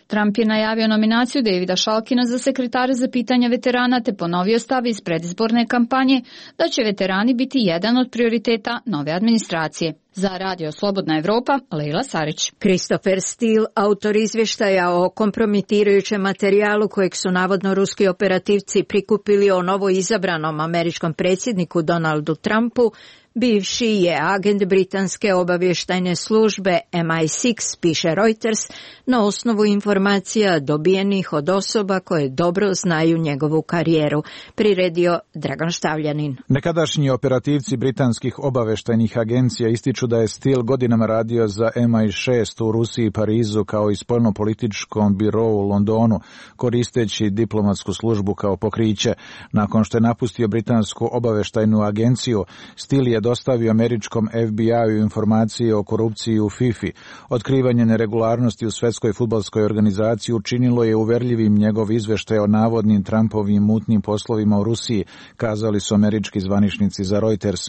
Trump je najavio nominaciju Davida Šalkina za sekretara za pitanja veterana te ponovio stav iz predizborne kampanje da će veterani biti jedan od prioriteta nove administracije. Za Radio Slobodna Evropa, Leila Sarić. Christopher Steele, autor izvještaja o kompromitirajućem materijalu kojeg su navodno ruski operativci prikupili o novo izabranom američkom predsjedniku Donaldu Trumpu, bivši je agent britanske obavještajne službe MI6, piše Reuters, na osnovu informacija dobijenih od osoba koje dobro znaju njegovu karijeru, priredio Dragan Štavljanin. Nekadašnji operativci britanskih obavještajnih agencija ističu da je Steele godinama radio za MI6 u Rusiji i Parizu kao i spoljnopolitičkom birou u Londonu, koristeći diplomatsku službu kao pokriće. Nakon što je napustio britansku obavještajnu agenciju, Steele je dostavio američkom FBI-u informacije o korupciji u FIFA. Otkrivanje neregularnosti u Svjetskoj fudbalskoj organizaciji učinilo je uverljivim njegov izvještaj o navodnim Trumpovim mutnim poslovima u Rusiji, kazali su američki zvaničnici za Reuters.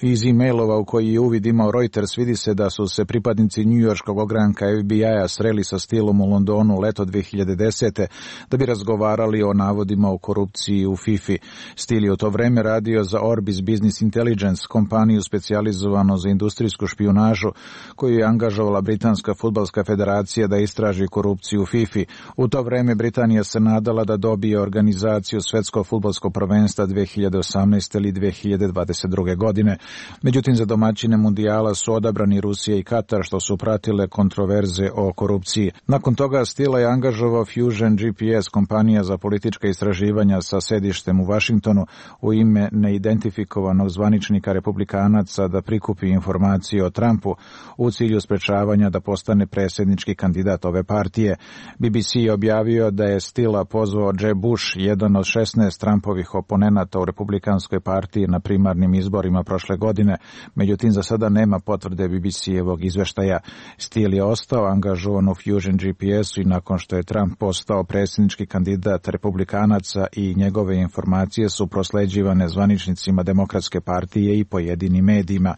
Iz e-mailova u koji je uvid imao Reuters vidi se da su se pripadnici njujorškog ogranka FBI-a sreli sa Steelom u Londonu leto 2010. da bi razgovarali o navodima o korupciji u FIFA. Steele je u to vreme radio za Orbis Business Intelligence, kompaniju specijalizovanu za industrijsku špijunažu koju je angažovala Britanska fudbalska federacija da istraži korupciju u FIFA. U to vreme Britanija se nadala da dobije organizaciju Svjetskog fudbalskog prvenstva 2018. ili 2022. godine. Međutim, za domaćine mundijala su odabrani Rusija i Katar, što su pratile kontroverze o korupciji. Nakon toga Steele je angažovao Fusion GPS, kompanija za politička istraživanja sa sedištem u Vašingtonu, u ime neidentifikovanog zvaničnika republikanaca da prikupi informacije o Trumpu u cilju sprečavanja da postane predsjednički kandidat ove partije. BBC je objavio da je Steele pozvao Jeb Bush, jedan od 16 Trumpovih oponenata u republikanskoj partiji na primarnim izborima prošle godine. Međutim, za sada nema potvrde BBC-evog izveštaja. Steele je ostao angažovan u Fusion GPS-u i nakon što je Trump postao predsjednički kandidat republikanaca i njegove informacije su prosleđivane zvaničnicima Demokratske partije i pojedinim medijima.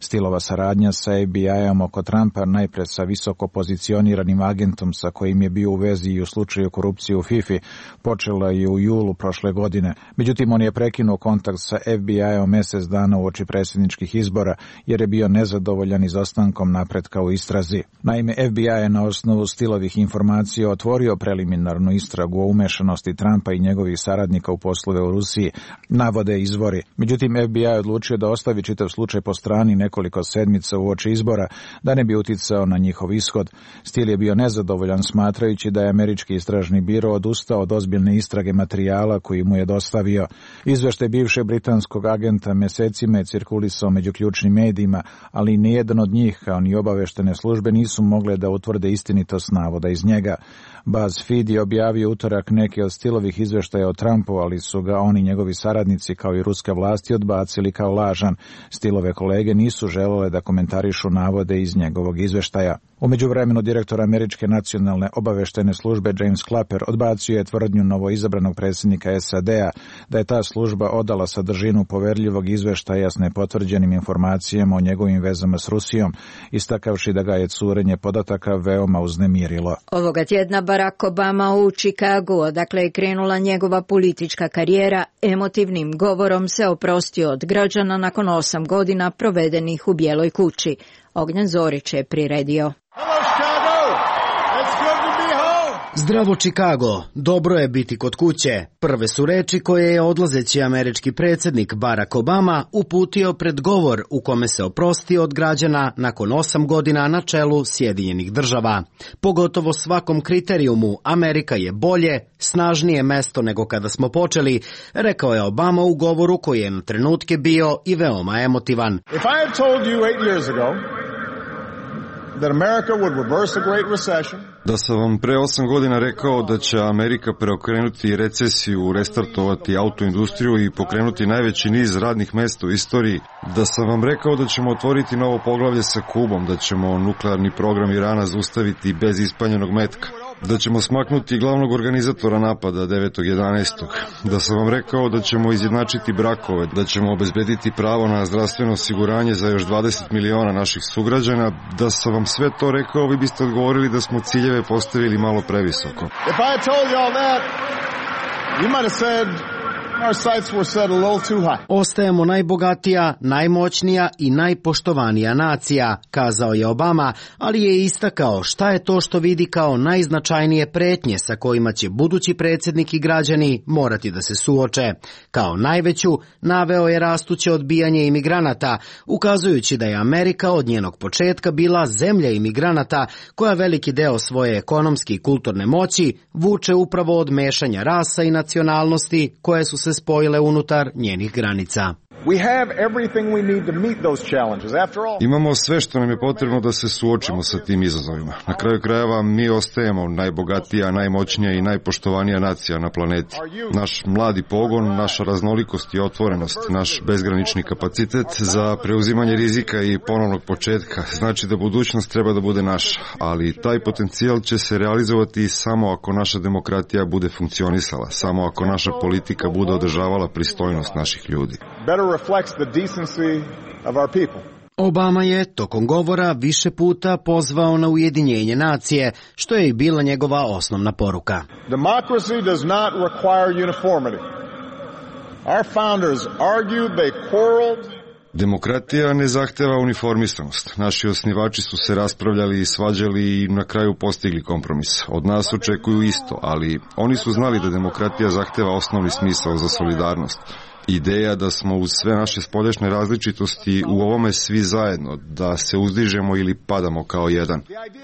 Steelova saradnja sa FBI-om oko Trumpa, najpre sa visoko pozicioniranim agentom sa kojim je bio u vezi i u slučaju korupcije u FIFA, počela je u julu prošle godine. Međutim, on je prekinuo kontakt sa FBI-om mjesec dana uoči predsjedničkih izbora jer je bio nezadovoljan izostankom napretka u istrazi. Naime, FBI je na osnovu Steelovih informacija otvorio preliminarnu istragu o umešanosti Trumpa i njegovih saradnika u poslove u Rusiji, navode izvori. Međutim, FBI je odlučio da ostavi čitav slučaj po strani nekoliko sedmica uoči izbora, da ne bi uticao na njihov ishod. Steele je bio nezadovoljan smatrajući da je američki istražni biro odustao od ozbiljne istrage materijala koji mu je dostavio. Izveštaj bivšeg britanskog agenta mjesecima je cirkulisao među ključnim medijima, ali nijedan od njih, kao ni obaveštene službe, nisu mogle da utvrde istinitost navoda iz njega. BuzzFeed je objavio utorak neke od Steelovih izveštaja o Trumpu, ali su ga oni njegovi saradnici kao i ruske vlasti odbacili kao lažan. Steelove kolege nisu želele da komentarišu navode iz njegovog izveštaja. U međuvremenu direktor američke nacionalne obaveštajne službe James Clapper odbacio je tvrdnju novoizabranog predsjednika SAD-a da je ta služba odala sadržinu poverljivog izveštaja s nepotvrđenim informacijama o njegovim vezama s Rusijom, istakavši da ga je curenje podataka veoma uznemirilo. Ovoga tjedna Barack Obama u Chicagu, odakle je krenula njegova politička karijera, emotivnim govorom se oprostio od građana nakon 8 godina provedenih u Bijeloj kući. Ognjen Zorić je priredio. Zdravo Chicago, dobro je biti kod kuće. Prve su reči koje je odlazeći američki predsjednik Barack Obama uputio pred govor u kome se oprostio od građana nakon 8 godina na čelu Sjedinjenih država. Pogotovo svakom kriterijumu Amerika je bolje, snažnije mesto nego kada smo počeli, rekao je Obama u govoru koji je na trenutke bio i veoma emotivan. If I had told you 8 years ago Da sam vam pre 8 godina rekao da će Amerika preokrenuti recesiju, restartovati autoindustriju i pokrenuti najveći niz radnih mesta u istoriji, da sam vam rekao da ćemo otvoriti novo poglavlje sa Kubom, da ćemo nuklearni program Irana zaustaviti bez ispaljenog metka, da ćemo smaknuti glavnog organizatora napada 9.11. Da sam vam rekao da ćemo izjednačiti brakove, da ćemo obezbediti pravo na zdravstveno osiguranje za još 20 miliona naših sugrađana. Da sam vam sve to rekao, vi biste odgovorili da smo ciljeve postavili malo previsoko. If I had told you all that, you might have said our sights were set a little too high. Ostajemo najbogatija, najmoćnija i najpoštovanija nacija, kazao je Obama, ali je istakao šta je to što vidi kao najznačajnije pretnje sa kojima će budući predsjednik i građani morati da se suoče. Kao najveću naveo je rastuće odbijanje imigranata, ukazujući da je Amerika od njenog početka bila zemlja imigranata koja veliki deo svoje ekonomske i kulturne moći vuče upravo od mešanja rasa i nacionalnosti koje su se spojile unutar njenih granica. Imamo sve što nam je potrebno da se suočimo sa tim izazovima. Na kraju krajeva mi ostajemo najbogatija, najmoćnija i najpoštovanija nacija na planeti. Naš mladi pogon, naša raznolikost i otvorenost, naš bezgranični kapacitet za preuzimanje rizika i ponovnog početka znači da budućnost treba da bude naša, ali taj potencijal će se realizovati samo ako naša demokratija bude funkcionisala, samo ako naša politika bude održavala pristojnost naših ljudi. Obama je tokom govora više puta pozvao na ujedinjenje nacije, što je i bila njegova osnovna poruka. Democracy does not require uniformity. Our founders argued, they quarreled. Demokratija ne zahteva uniformisanost. Naši osnivači su se raspravljali i svađali i na kraju postigli kompromis. Od nas očekuju isto, ali oni su znali da demokratija zahteva osnovni smisao za solidarnost. Ideja da smo uz sve naše spoljašnje različitosti u ovome svi zajedno, da se uzdižemo ili padamo kao jedan.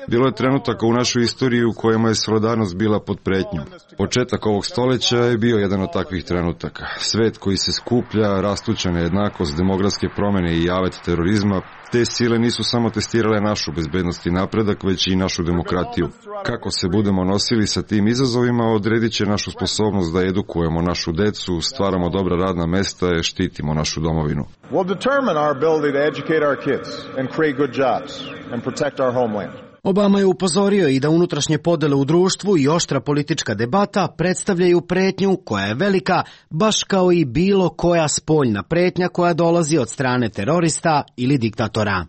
Bilo je trenutaka u našoj istoriji u kojima je solidarnost bila pod pretnjom. Početak ovog stoljeća je bio jedan od takvih trenutaka. Svet koji se skuplja, rastuća nejednakost, demografske promjene i javet terorizma, te sile nisu samo testirale našu bezbednost i napredak, već i našu demokratiju. Kako se budemo nosili sa tim izazovima, odredit će našu sposobnost da edukujemo našu decu, stvaramo dobra radna mesta i štitimo našu domovinu. Will determine our ability to educate our kids and create good jobs and protect our homeland. Obama je upozorio i da unutrašnje podele u društvu i oštra politička debata predstavljaju pretnju koja je velika, baš kao i bilo koja spoljna pretnja koja dolazi od strane terorista ili diktatora.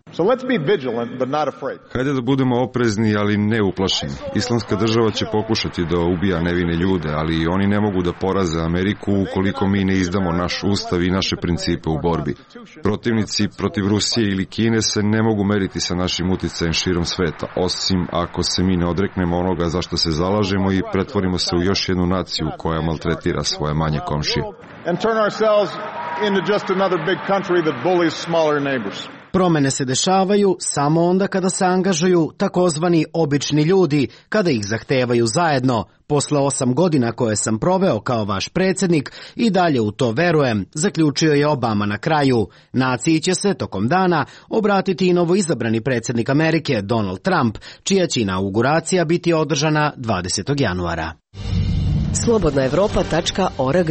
Hajde da budemo oprezni, ali ne uplašeni. Islamska država će pokušati da ubija nevine ljude, ali oni ne mogu da poraze Ameriku ukoliko mi ne izdamo naš ustav i naše principe u borbi. Protivnici protiv Rusije ili Kine se ne mogu meriti sa našim uticajem širom sveta, osim ako se mi ne odreknemo onoga za što se zalažemo i pretvorimo se u još jednu naciju koja maltretira svoje manje komšije. Promene se dešavaju samo onda kada se angažuju takozvani obični ljudi, kada ih zahtevaju zajedno. Posle 8 godina koje sam proveo kao vaš predsjednik i dalje u to verujem, zaključio je Obama na kraju. Naciji će se tokom dana obratiti i novoizabrani predsjednik Amerike Donald Trump, čija će inauguracija biti održana 20. januara. Slobodnaevropa.org.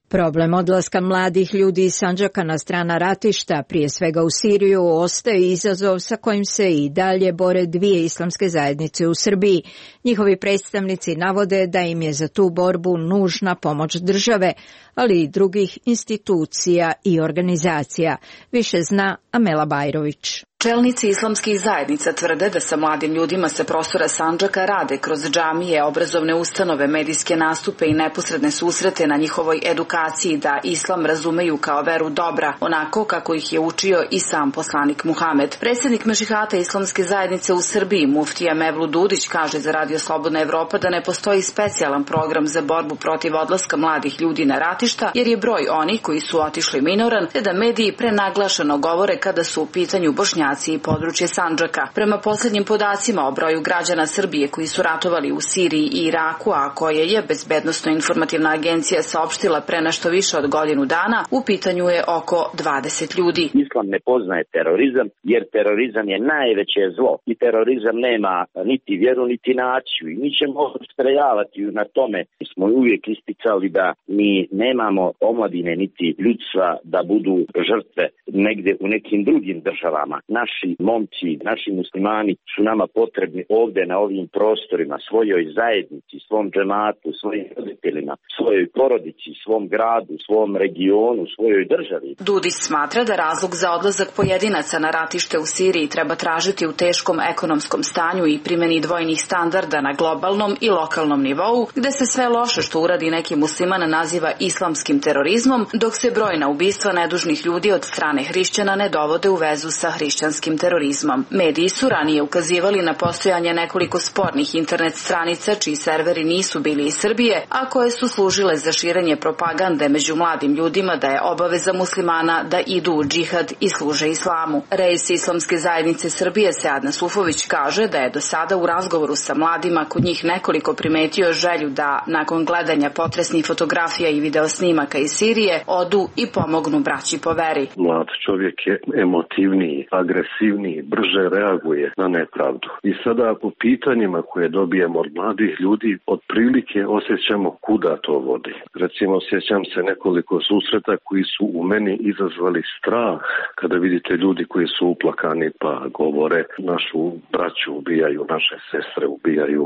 Problem odlaska mladih ljudi iz Sandžaka na strana ratišta, prije svega u Siriju, ostaje izazov sa kojim se i dalje bore dvije islamske zajednice u Srbiji. Njihovi predstavnici navode da im je za tu borbu nužna pomoć države, ali i drugih institucija i organizacija. Više zna Amela Bajrović. Čelnici islamskih zajednica tvrde da sa mladim ljudima sa prostora Sandžaka rade kroz džamije, obrazovne ustanove, medijske nastupe i neposredne susrete na njihovoj edukaciji da islam razumeju kao veru dobra, onako kako ih je učio i sam poslanik Muhamed. Predsjednik Mešihata islamske zajednice u Srbiji, muftija Mevlut Dudić, kaže za Radio Slobodna Evropa da ne postoji specijalan program za borbu protiv odlaska mladih ljudi na ratišta, jer je broj onih koji su otišli minoran, te da mediji prenaglašeno govore kada su u pitanju Bošnjaci destinaciji područje Sandžaka. Prema posljednjim podacima o broju građana Srbije koji su ratovali u Siriji i Iraku, a koje je Bezbednosno-informativna agencija saopštila pre nešto više od godinu dana, u pitanju je oko 20 ljudi. Islam ne poznaje terorizam, jer terorizam je najveće zlo i terorizam nema niti vjeru niti naciju i mi ćemo ustrajavati na tome. Mi smo uvijek isticali da mi nemamo omladine niti ljudstva da budu žrtve negdje u nekim drugim državama. Naši momci, naši muslimani su nama potrebni ovdje na ovim prostorima, svojoj zajednici, svom džematu, svojim roditeljima, svojoj porodici, svom gradu, svom regionu, svojoj državi. Dudić smatra da razlog za odlazak pojedinaca na ratište u Siriji treba tražiti u teškom ekonomskom stanju i primjeni dvojnih standarda na globalnom i lokalnom nivou, gde se sve loše što uradi neki musliman naziva islamskim terorizmom, dok se brojna ubistva nedužnih ljudi od strane hrišćana ne dovode u vezu sa hrišćanskim terorizmom. Mediji su ranije ukazivali na postojanje nekoliko spornih internet stranica čiji serveri nisu bili iz Srbije, a koje su služile za širenje propagande među mladim ljudima da je obaveza muslimana da idu u džihad i služe islamu. Reis Islamske zajednice Srbije Sead Nasufović kaže da je do sada u razgovoru sa mladima kod njih nekoliko primetio želju da, nakon gledanja potresnih fotografija i videosnimaka iz Sirije, odu i pomognu braći po veri. Mlad čovjek je emotivniji, agresivniji, brže reaguje na nepravdu. I sada po pitanjima koje dobijemo od mladih ljudi, otprilike osjećamo kuda to vodi. Recimo, sjećam se nekoliko susreta koji su u meni izazvali strah kada vidite ljudi koji su uplakani pa govore našu braću ubijaju, naše sestre ubijaju.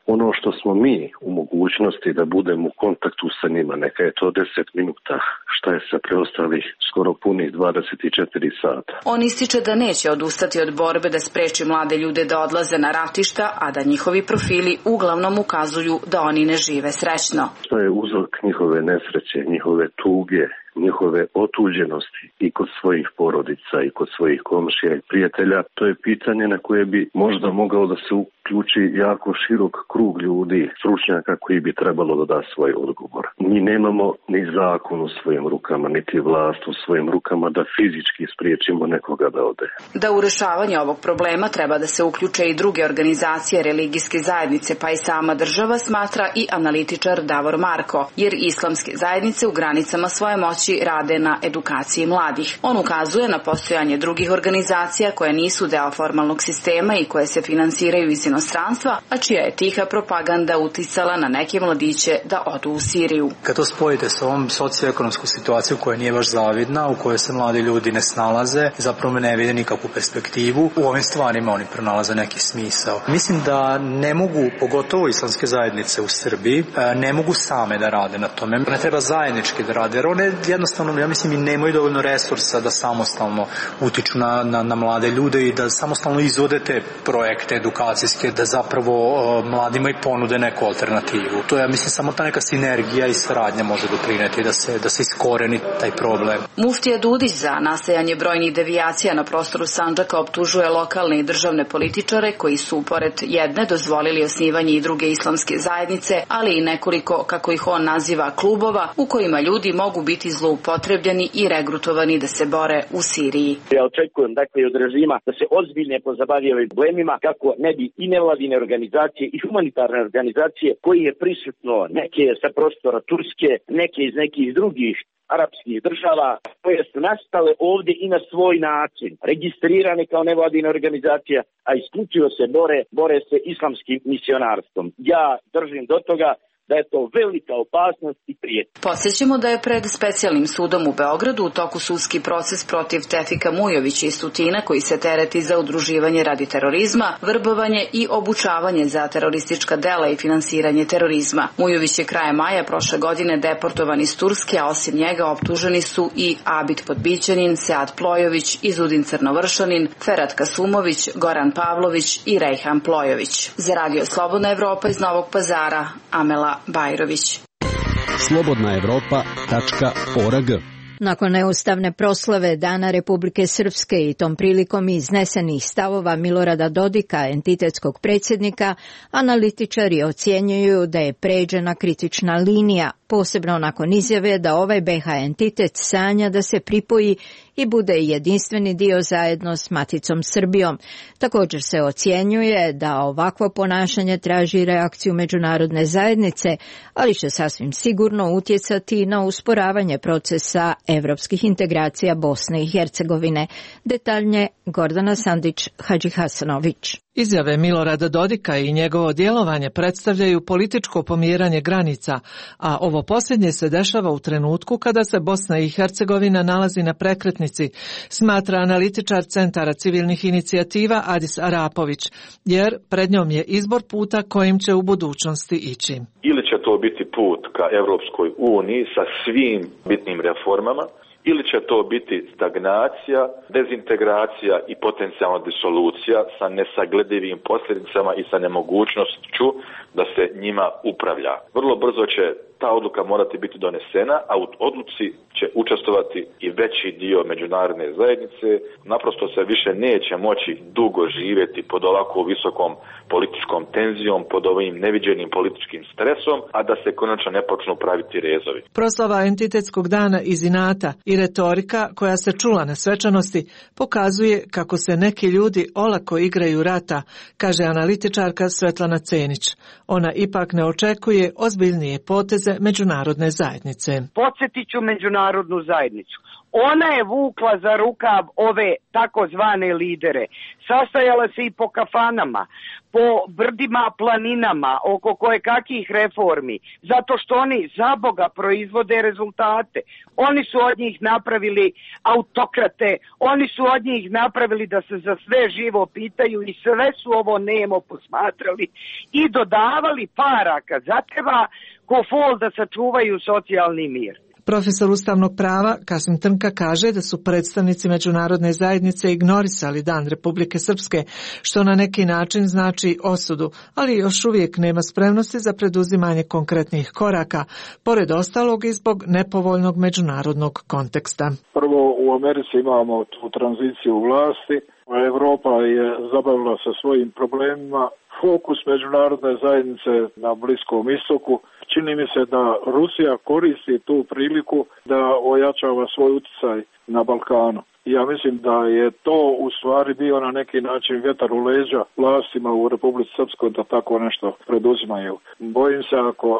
Ono što smo mi u mogućnosti da budemo u kontaktu sa njima, neka je to 10 minuta, šta je sa preostalih skoro punih 24 sata. On ističe da neće odustati od borbe da spreči mlade ljude da odlaze na ratišta, a da njihovi profili uglavnom ukazuju da oni ne žive srećno. Što je uzrok njihove nesreće, njihove tuge, njihove otuđenosti i kod svojih porodica i kod svojih komšija i prijatelja, to je pitanje na koje bi možda mogao da se uključi jako širok krug ljudi, stručnjaka koji bi trebalo da da svoj odgovor. Mi nemamo ni zakon u svojim rukama, niti vlast u svojim rukama da fizički spriječimo nekoga da ode. Da u rešavanje ovog problema treba da se uključe i druge organizacije, religijske zajednice, pa i sama država, smatra i analitičar Davor Marko, jer islamske zajednice u granicama svoje moći rade na edukaciji mladih. On ukazuje na postojanje drugih organizacija koje nisu deo formalnog sistema i koje se finansiraju iz inostranstva, a čija je tiha propaganda uticala na neke mladiće da odu u Siriju. Kad to spojite sa ovom socioekonomskom situacijom koja nije baš zavidna, u kojoj se mladi ljudi ne snalaze, zapravo ne vide nikakvu perspektivu, u ovim stvarima oni pronalaze neki smisao. Mislim da ne mogu, pogotovo islamske zajednice u Srbiji, ne mogu same da rade na tome. Ne treba zajednički da rade, jer one jednostavno, ja mislim, i nemaju dovoljno resursa da samostalno utiču na mlade ljude i da samostalno izvode te projekte edukacijske, da zapravo mladima i ponude neku alternativu. To je, ja mislim, samo ta neka sinergija i saradnja može doprineti da se iskoreni taj problem. Muftija Dudić za nastajanje brojnih devijacija na prostoru Sandžaka optužuje lokalne i državne političare koji su, pored jedne, dozvolili osnivanje i druge islamske zajednice, ali i nekoliko, kako ih on naziva, klubova u kojima ljudi mogu biti zloupotrebljeni i regrutovani da se bore u Siriji. Ja očekujem dakle od režima da se ozbiljno pozabavi ovim problemima kako ne bi i nevladine organizacije i humanitarne organizacije koji je prisutno neke sa prostora Turske, neke iz nekih drugih arapskih država koje su nastale ovdje i na svoj način, registrirane kao nevladine organizacije, a isključivo se bore se islamskim misionarstvom. Ja držim do toga da je to velika opasnost i prijetnja. Podsjećamo da je pred specijalnim sudom u Beogradu u toku sudski proces protiv Tefika Mujovića iz Tutina, koji se tereti za udruživanje radi terorizma, vrbovanje i obučavanje za teroristička dela i finansiranje terorizma. Mujović je krajem maja prošle godine deportovan iz Turske, a osim njega optuženi su i Abid Podbićanin, Sead Plojović, Izudin Crnovršanin, Ferhat Kasumović, Goran Pavlović i Rejhan Plojović. Za Radio Slobodna Evropa iz Novog Pazara, Amela Bajrović. slobodnaevropa.org. Nakon neustavne proslave Dana Republike Srpske i tom prilikom iznesenih stavova Milorada Dodika, entitetskog predsjednika, analitičari ocjenjuju da je pređena kritična linija posebno nakon izjave da ovaj BiH entitet sanja da se pripoji i bude jedinstveni dio zajedno s maticom Srbijom. Također se ocjenjuje da ovakvo ponašanje traži reakciju međunarodne zajednice, ali će sasvim sigurno utjecati na usporavanje procesa evropskih integracija Bosne i Hercegovine. Detaljnije Gordana Sandić-Hadžihasanović. Izjave Milorada Dodika i njegovo djelovanje predstavljaju političko pomjeranje granica, a ovo posljednje se dešava u trenutku kada se Bosna i Hercegovina nalazi na prekretnici, smatra analitičar Centara civilnih inicijativa Adis Arapović, jer pred njom je izbor puta kojim će u budućnosti ići. Ili će to biti put ka Evropskoj uniji sa svim bitnim reformama, ili će to biti stagnacija, dezintegracija i potencijalna disolucija sa nesagledivim posljedicama i sa nemogućnošću da se njima upravlja. Vrlo brzo će ta odluka morati biti donesena, a u odluci će učestvovati i veći dio međunarodne zajednice. Naprosto se više neće moći dugo živjeti pod ovako visokom političkom tenzijom, pod ovim neviđenim političkim stresom, a da se konačno ne počnu praviti rezovi. Proslava entitetskog dana iz inata i retorika koja se čula na svečanosti pokazuje kako se neki ljudi olako igraju rata, kaže analitičarka Svetlana Cenić. Ona ipak ne očekuje ozbiljnije poteze međunarodne zajednice. Podsjetit ću međunarodnu zajednicu. Ona je vukla za rukav ove takozvane lidere. Sastajala se i po kafanama, po brdima, planinama, oko kojekakvih reformi, zato što oni za Boga proizvode rezultate. Oni su od njih napravili autokrate, oni su od njih napravili da se za sve živo pitaju i sve su ovo nemo posmatrali i dodavali para kad zatreba ko fol da sačuvaju socijalni mir. Profesor ustavnog prava Kasim Trnka kaže da su predstavnici međunarodne zajednice ignorisali Dan Republike Srpske, što na neki način znači osudu, ali još uvijek nema spremnosti za preduzimanje konkretnih koraka, pored ostalog i zbog nepovoljnog međunarodnog konteksta. Prvo, u Americi imamo tu tranziciju vlasti, Evropa je zabavila sa svojim problemima, fokus međunarodne zajednice na Bliskom istoku. Čini mi se da Rusija koristi tu priliku da ojačava svoj utjecaj na Balkanu. Ja mislim da je to u stvari bio na neki način vjetar u leđa vlastima u Republici Srpskoj da tako nešto preduzimaju. Bojim se ako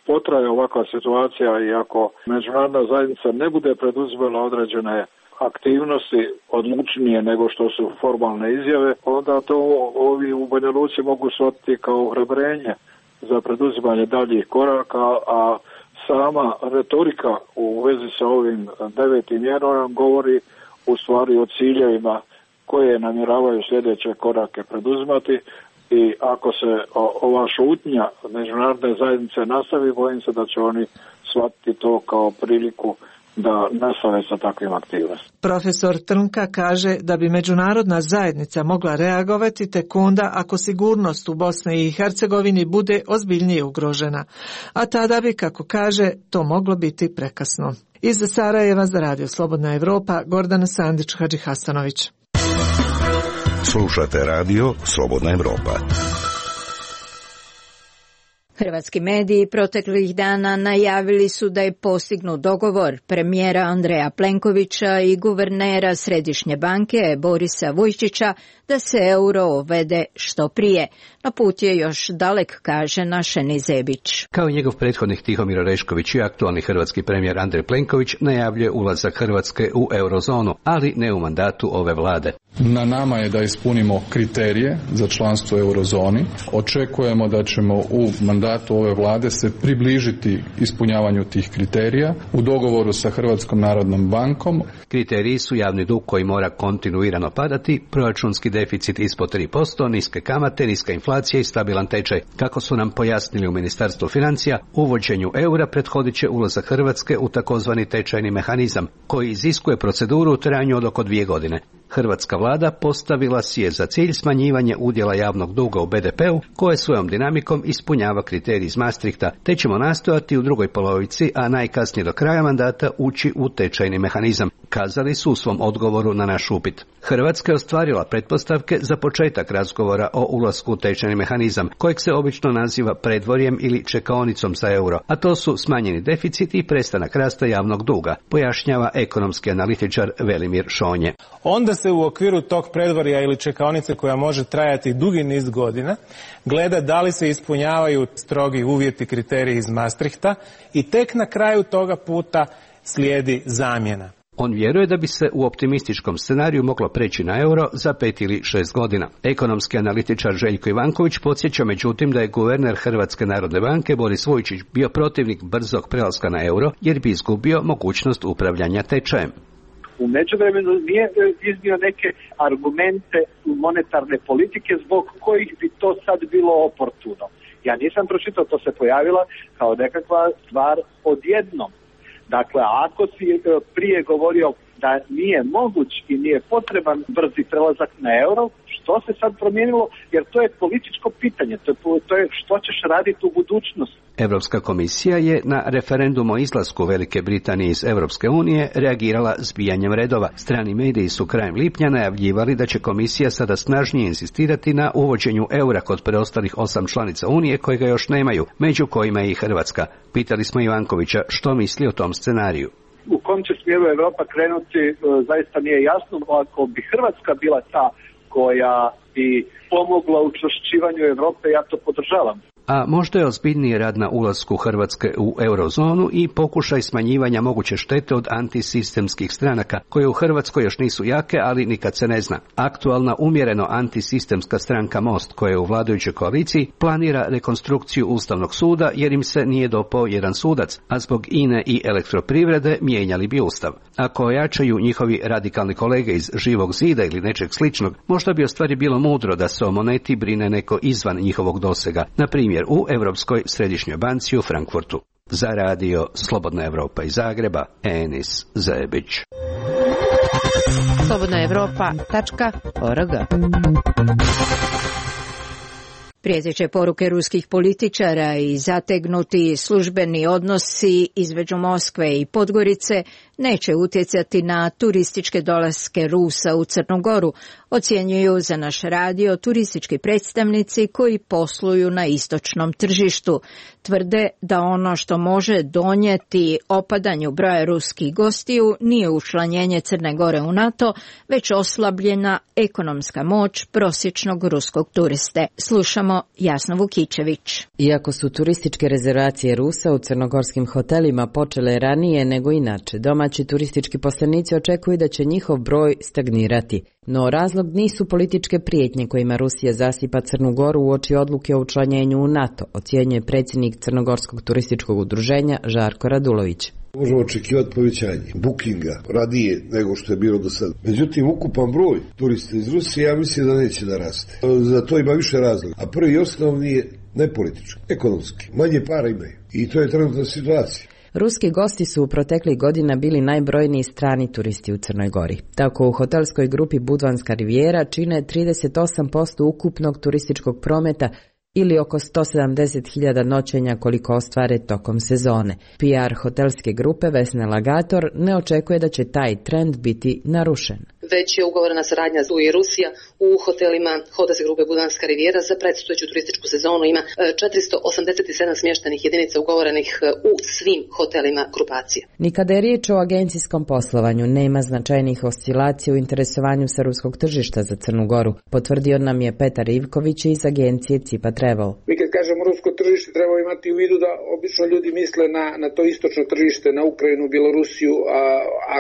potraje ovakva situacija i ako međunarodna zajednica ne bude preduzimala određene aktivnosti odlučnije nego što su formalne izjave, onda to ovi u Banja Luci mogu shvatiti kao ohrabrenje za preduzimanje daljih koraka, a sama retorika u vezi sa ovim 9. mjerom govori u stvari o ciljevima koje namjeravaju sljedeće korake preduzimati i ako se ova šutnja međunarodne zajednice nastavi, bojim se da će oni shvatiti to kao priliku da nastave sa takvim aktivnostima. Profesor Trnka kaže da bi međunarodna zajednica mogla reagovati tek onda ako sigurnost u Bosni i Hercegovini bude ozbiljnije ugrožena, a tada bi, kako kaže, to moglo biti prekasno. Iz Sarajeva za Radio Slobodna Evropa, Gordana Sandić-Hadžihasanović. Slušate Radio Slobodna Evropa. Hrvatski mediji proteklih dana najavili su da je postignut dogovor premijera Andreja Plenkovića i guvernera Središnje banke Borisa Vujčića da se euro uvede što prije. No put je još dalek, kaže Našeni Zebić. Kao i njegov prethodnik Tihomir Orešković i aktualni hrvatski premijer Andrej Plenković najavljuje ulazak Hrvatske u eurozonu, ali ne u mandatu ove vlade. Na nama je da ispunimo kriterije za članstvo u eurozoni. Očekujemo da ćemo u mandatu ove vlade se približiti ispunjavanju tih kriterija u dogovoru sa Hrvatskom narodnom bankom. Kriteriji su javni dug koji mora kontinuirano padati, proračunski deficit ispod 3%, niske kamate, niska inflacija i stabilan tečaj. Kako su nam pojasnili u Ministarstvu financija, uvođenju eura prethodit će ulazak Hrvatske u takozvani tečajni mehanizam, koji iziskuje proceduru u trajanju od oko 2 godine. Hrvatska vlada postavila si je za cilj smanjivanje udjela javnog duga u BDP-u, koje svojom dinamikom ispunjava kriterij iz Maastrichta, te ćemo nastojati u drugoj polovici, a najkasnije do kraja mandata, ući u tečajni mehanizam, kazali su u svom odgovoru na naš upit. Hrvatska je ostvarila pretpostavke za početak razgovora o ulasku u tečajni mehanizam, kojeg se obično naziva predvorjem ili čekaonicom za euro, a to su smanjeni deficit i prestanak rasta javnog duga, pojašnjava ekonomski analitičar Velimir Šonje. Onda se u okviru tog predvorja ili čekaonice koja može trajati dugi niz godina gleda da li se ispunjavaju strogi uvjeti, kriteriji iz Maastrichta i tek na kraju toga puta slijedi zamjena. On vjeruje da bi se u optimističkom scenariju moglo preći na euro za 5 ili 6 godina. Ekonomski analitičar Željko Ivanković podsjeća međutim da je guverner Hrvatske narodne banke Boris Vujčić bio protivnik brzog prelaska na euro jer bi izgubio mogućnost upravljanja tečajem. U međuvremenu nije iznio neke argumente monetarne politike zbog kojih bi to sad bilo oportuno. Ja nisam pročitao, to se pojavila kao nekakva stvar odjednom. Dakle, ako si prije govorio da nije moguć i nije potreban brzi prelazak na euro, što se sad promijenilo? Jer to je političko pitanje, to je što ćeš raditi u budućnosti. Europska komisija je na referendum o izlasku Velike Britanije iz Europske unije reagirala zbijanjem redova. Strani mediji su krajem lipnja najavljivali da će komisija sada snažnije insistirati na uvođenju eura kod preostalih 8 članica unije koje ga još nemaju, među kojima je i Hrvatska. Pitali smo Ivankovića što misli o tom scenariju. U kom će smjeru Europa krenuti zaista nije jasno. Ako bi Hrvatska bila ta koja bi pomogla učvršćivanju Europe, ja to podržavam. A možda je ozbiljniji rad na ulasku Hrvatske u eurozonu i pokušaj smanjivanja moguće štete od antisistemskih stranaka, koje u Hrvatskoj još nisu jake, ali nikad se ne zna. Aktualna umjereno antisistemska stranka Most, koja je u vladajućoj koaliciji, planira rekonstrukciju Ustavnog suda jer im se nije dopao jedan sudac, a zbog INE i elektroprivrede mijenjali bi Ustav. Ako ojačaju njihovi radikalni kolege iz Živog zida ili nečeg sličnog, možda bi ostvari bilo mudro da se o moneti brine neko izvan njihovog dosega, na primjer u Europskoj središnjoj banci u Frankfurtu. Za radio Slobodna Evropa iz Zagreba, Enis Zebić. slobodnaevropa.org. Prijeteće poruke ruskih političara i zategnuti službeni odnosi između Moskve i Podgorice neće utjecati na turističke dolaske Rusa u Crnu Goru, ocjenjuju za naš radio turistički predstavnici koji posluju na istočnom tržištu. Tvrde da ono što može donijeti opadanju broja ruskih gostiju nije učlanjenje Crne Gore u NATO, već oslabljena ekonomska moć prosječnog ruskog turiste. Slušamo Jasna Vukičević. Iako su turističke rezervacije Rusa u crnogorskim hotelima počele ranije nego inače, domaći turistički poslanici očekuju da će njihov broj stagnirati. No razlog nisu političke prijetnje kojima Rusija zasipa Crnu Goru uoči odluke o učlanjenju u NATO, ocjenjuje predsjednik Crnogorskog turističkog udruženja Žarko Radulović. Možemo očekivati povećanje bookinga radije nego što je bilo do sada. Međutim, ukupan broj turista iz Rusije ja mislim da neće da raste. Za to ima više razloga. A prvi i osnovni je ne politički, ekonomski. Manje para imaju. I to je trenutna situacija. Ruski gosti su u proteklih godina bili najbrojniji strani turisti u Crnoj Gori. Tako u hotelskoj grupi Budvanska rivijera čine 38% ukupnog turističkog prometa ili oko 170.000 noćenja koliko ostvare tokom sezone. PR hotelske grupe Vesna Lagator ne očekuje da će taj trend biti narušen. Već je ugovorena saradnja tu i Rusija u hotelima hotelske grupe Budvanska rivijera za predstojeću turističku sezonu. Ima 487 smještajnih jedinica ugovorenih u svim hotelima grupacije. Ni kada je riječ o agencijskom poslovanju, nema značajnih oscilacija u interesovanju sa ruskog tržišta za Crnu Goru, potvrdio nam je Petar Ivković iz agencije Cipa Travel. Mi kad kažemo rusko tržište treba imati u vidu da obično ljudi misle na to istočno tržište, na Ukrajinu, Bjelorusiju, a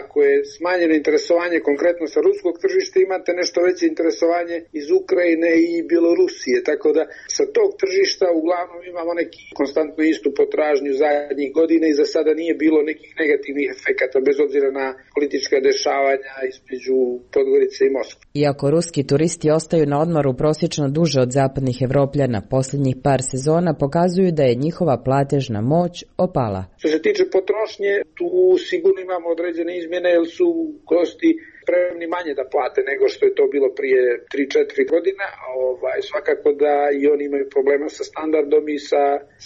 ako je smanjeno interesovanje konkretno sa ruskog tržišta, imate nešto veće interesovanje iz Ukrajine i Bjelorusije, tako da sa tog tržišta uglavnom imamo neki konstantnu istu potražnju zadnjih godina i za sada nije bilo nekih negativnih efekata bez obzira na politička dešavanja između Podgorice i Moskve. Iako ruski turisti ostaju na odmoru prosječno duže od zapadnih Evropljana, posljednjih par sezona pokazuju da je njihova platežna moć opala. Što se tiče potrošnje, tu sigurno imamo određene izmjene jer su gosti spremni manje da plate nego što je to bilo prije 3-4 godina. Svakako da i oni imaju problema sa standardom i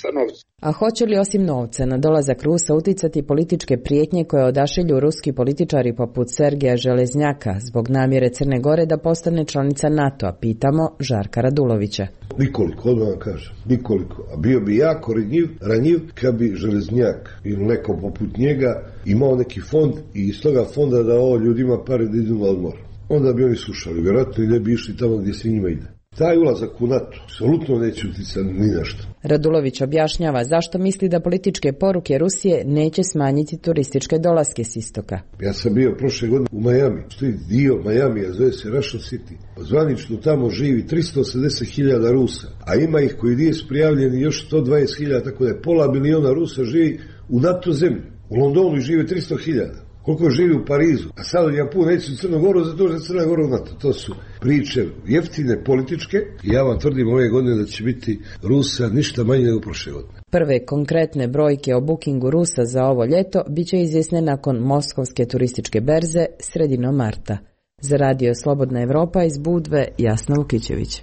sa novcem. A hoće li osim novca na dolazak Rusa uticati političke prijetnje koje odašilju ruski političari poput Sergeja Železnjaka zbog namjere Crne Gore da postane članica NATO-a, pitamo Žarka Radulovića. Nikoliko, odmah vam kažem, nikoliko. A bio bi jako ranjiv kad bi Železnjak ili neko poput njega imao neki fond i iz toga fonda dao ljudima pare da idu na odmor. Onda bi oni slušali, vjerojatno i ne bi išli tamo gdje se njima ide. Taj ulazak u NATO apsolutno neće uticati ni na što. Radulović objašnjava zašto misli da političke poruke Rusije neće smanjiti turističke dolaske s istoka. Ja sam bio prošle godine u Miami, što je dio Miamija, zove se Russian City. Zvanično tamo živi 380.000 Rusa, a ima ih koji nije prijavljeni još 120.000, tako da je pola miliona Rusa živi u NATO zemlji. U Londonu žive 300.000. Koliko živi u Parizu, a sad ja puno neću u Crnu Goru, zato što Crna Gora u NATO. To su priče jeftine, političke. I ja vam tvrdim ove godine da će biti Rusa ništa manje nego prošle godine. Prve konkretne brojke o bookingu Rusa za ovo ljeto bit će izvjesne nakon Moskovske turističke berze sredinom marta. Za Radio Slobodna Evropa iz Budve, Jasna Vukićević.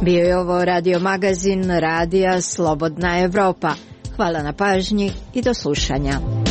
Bio je ovo radio magazin Radija Slobodna Evropa. Hvala na pažnji i do slušanja.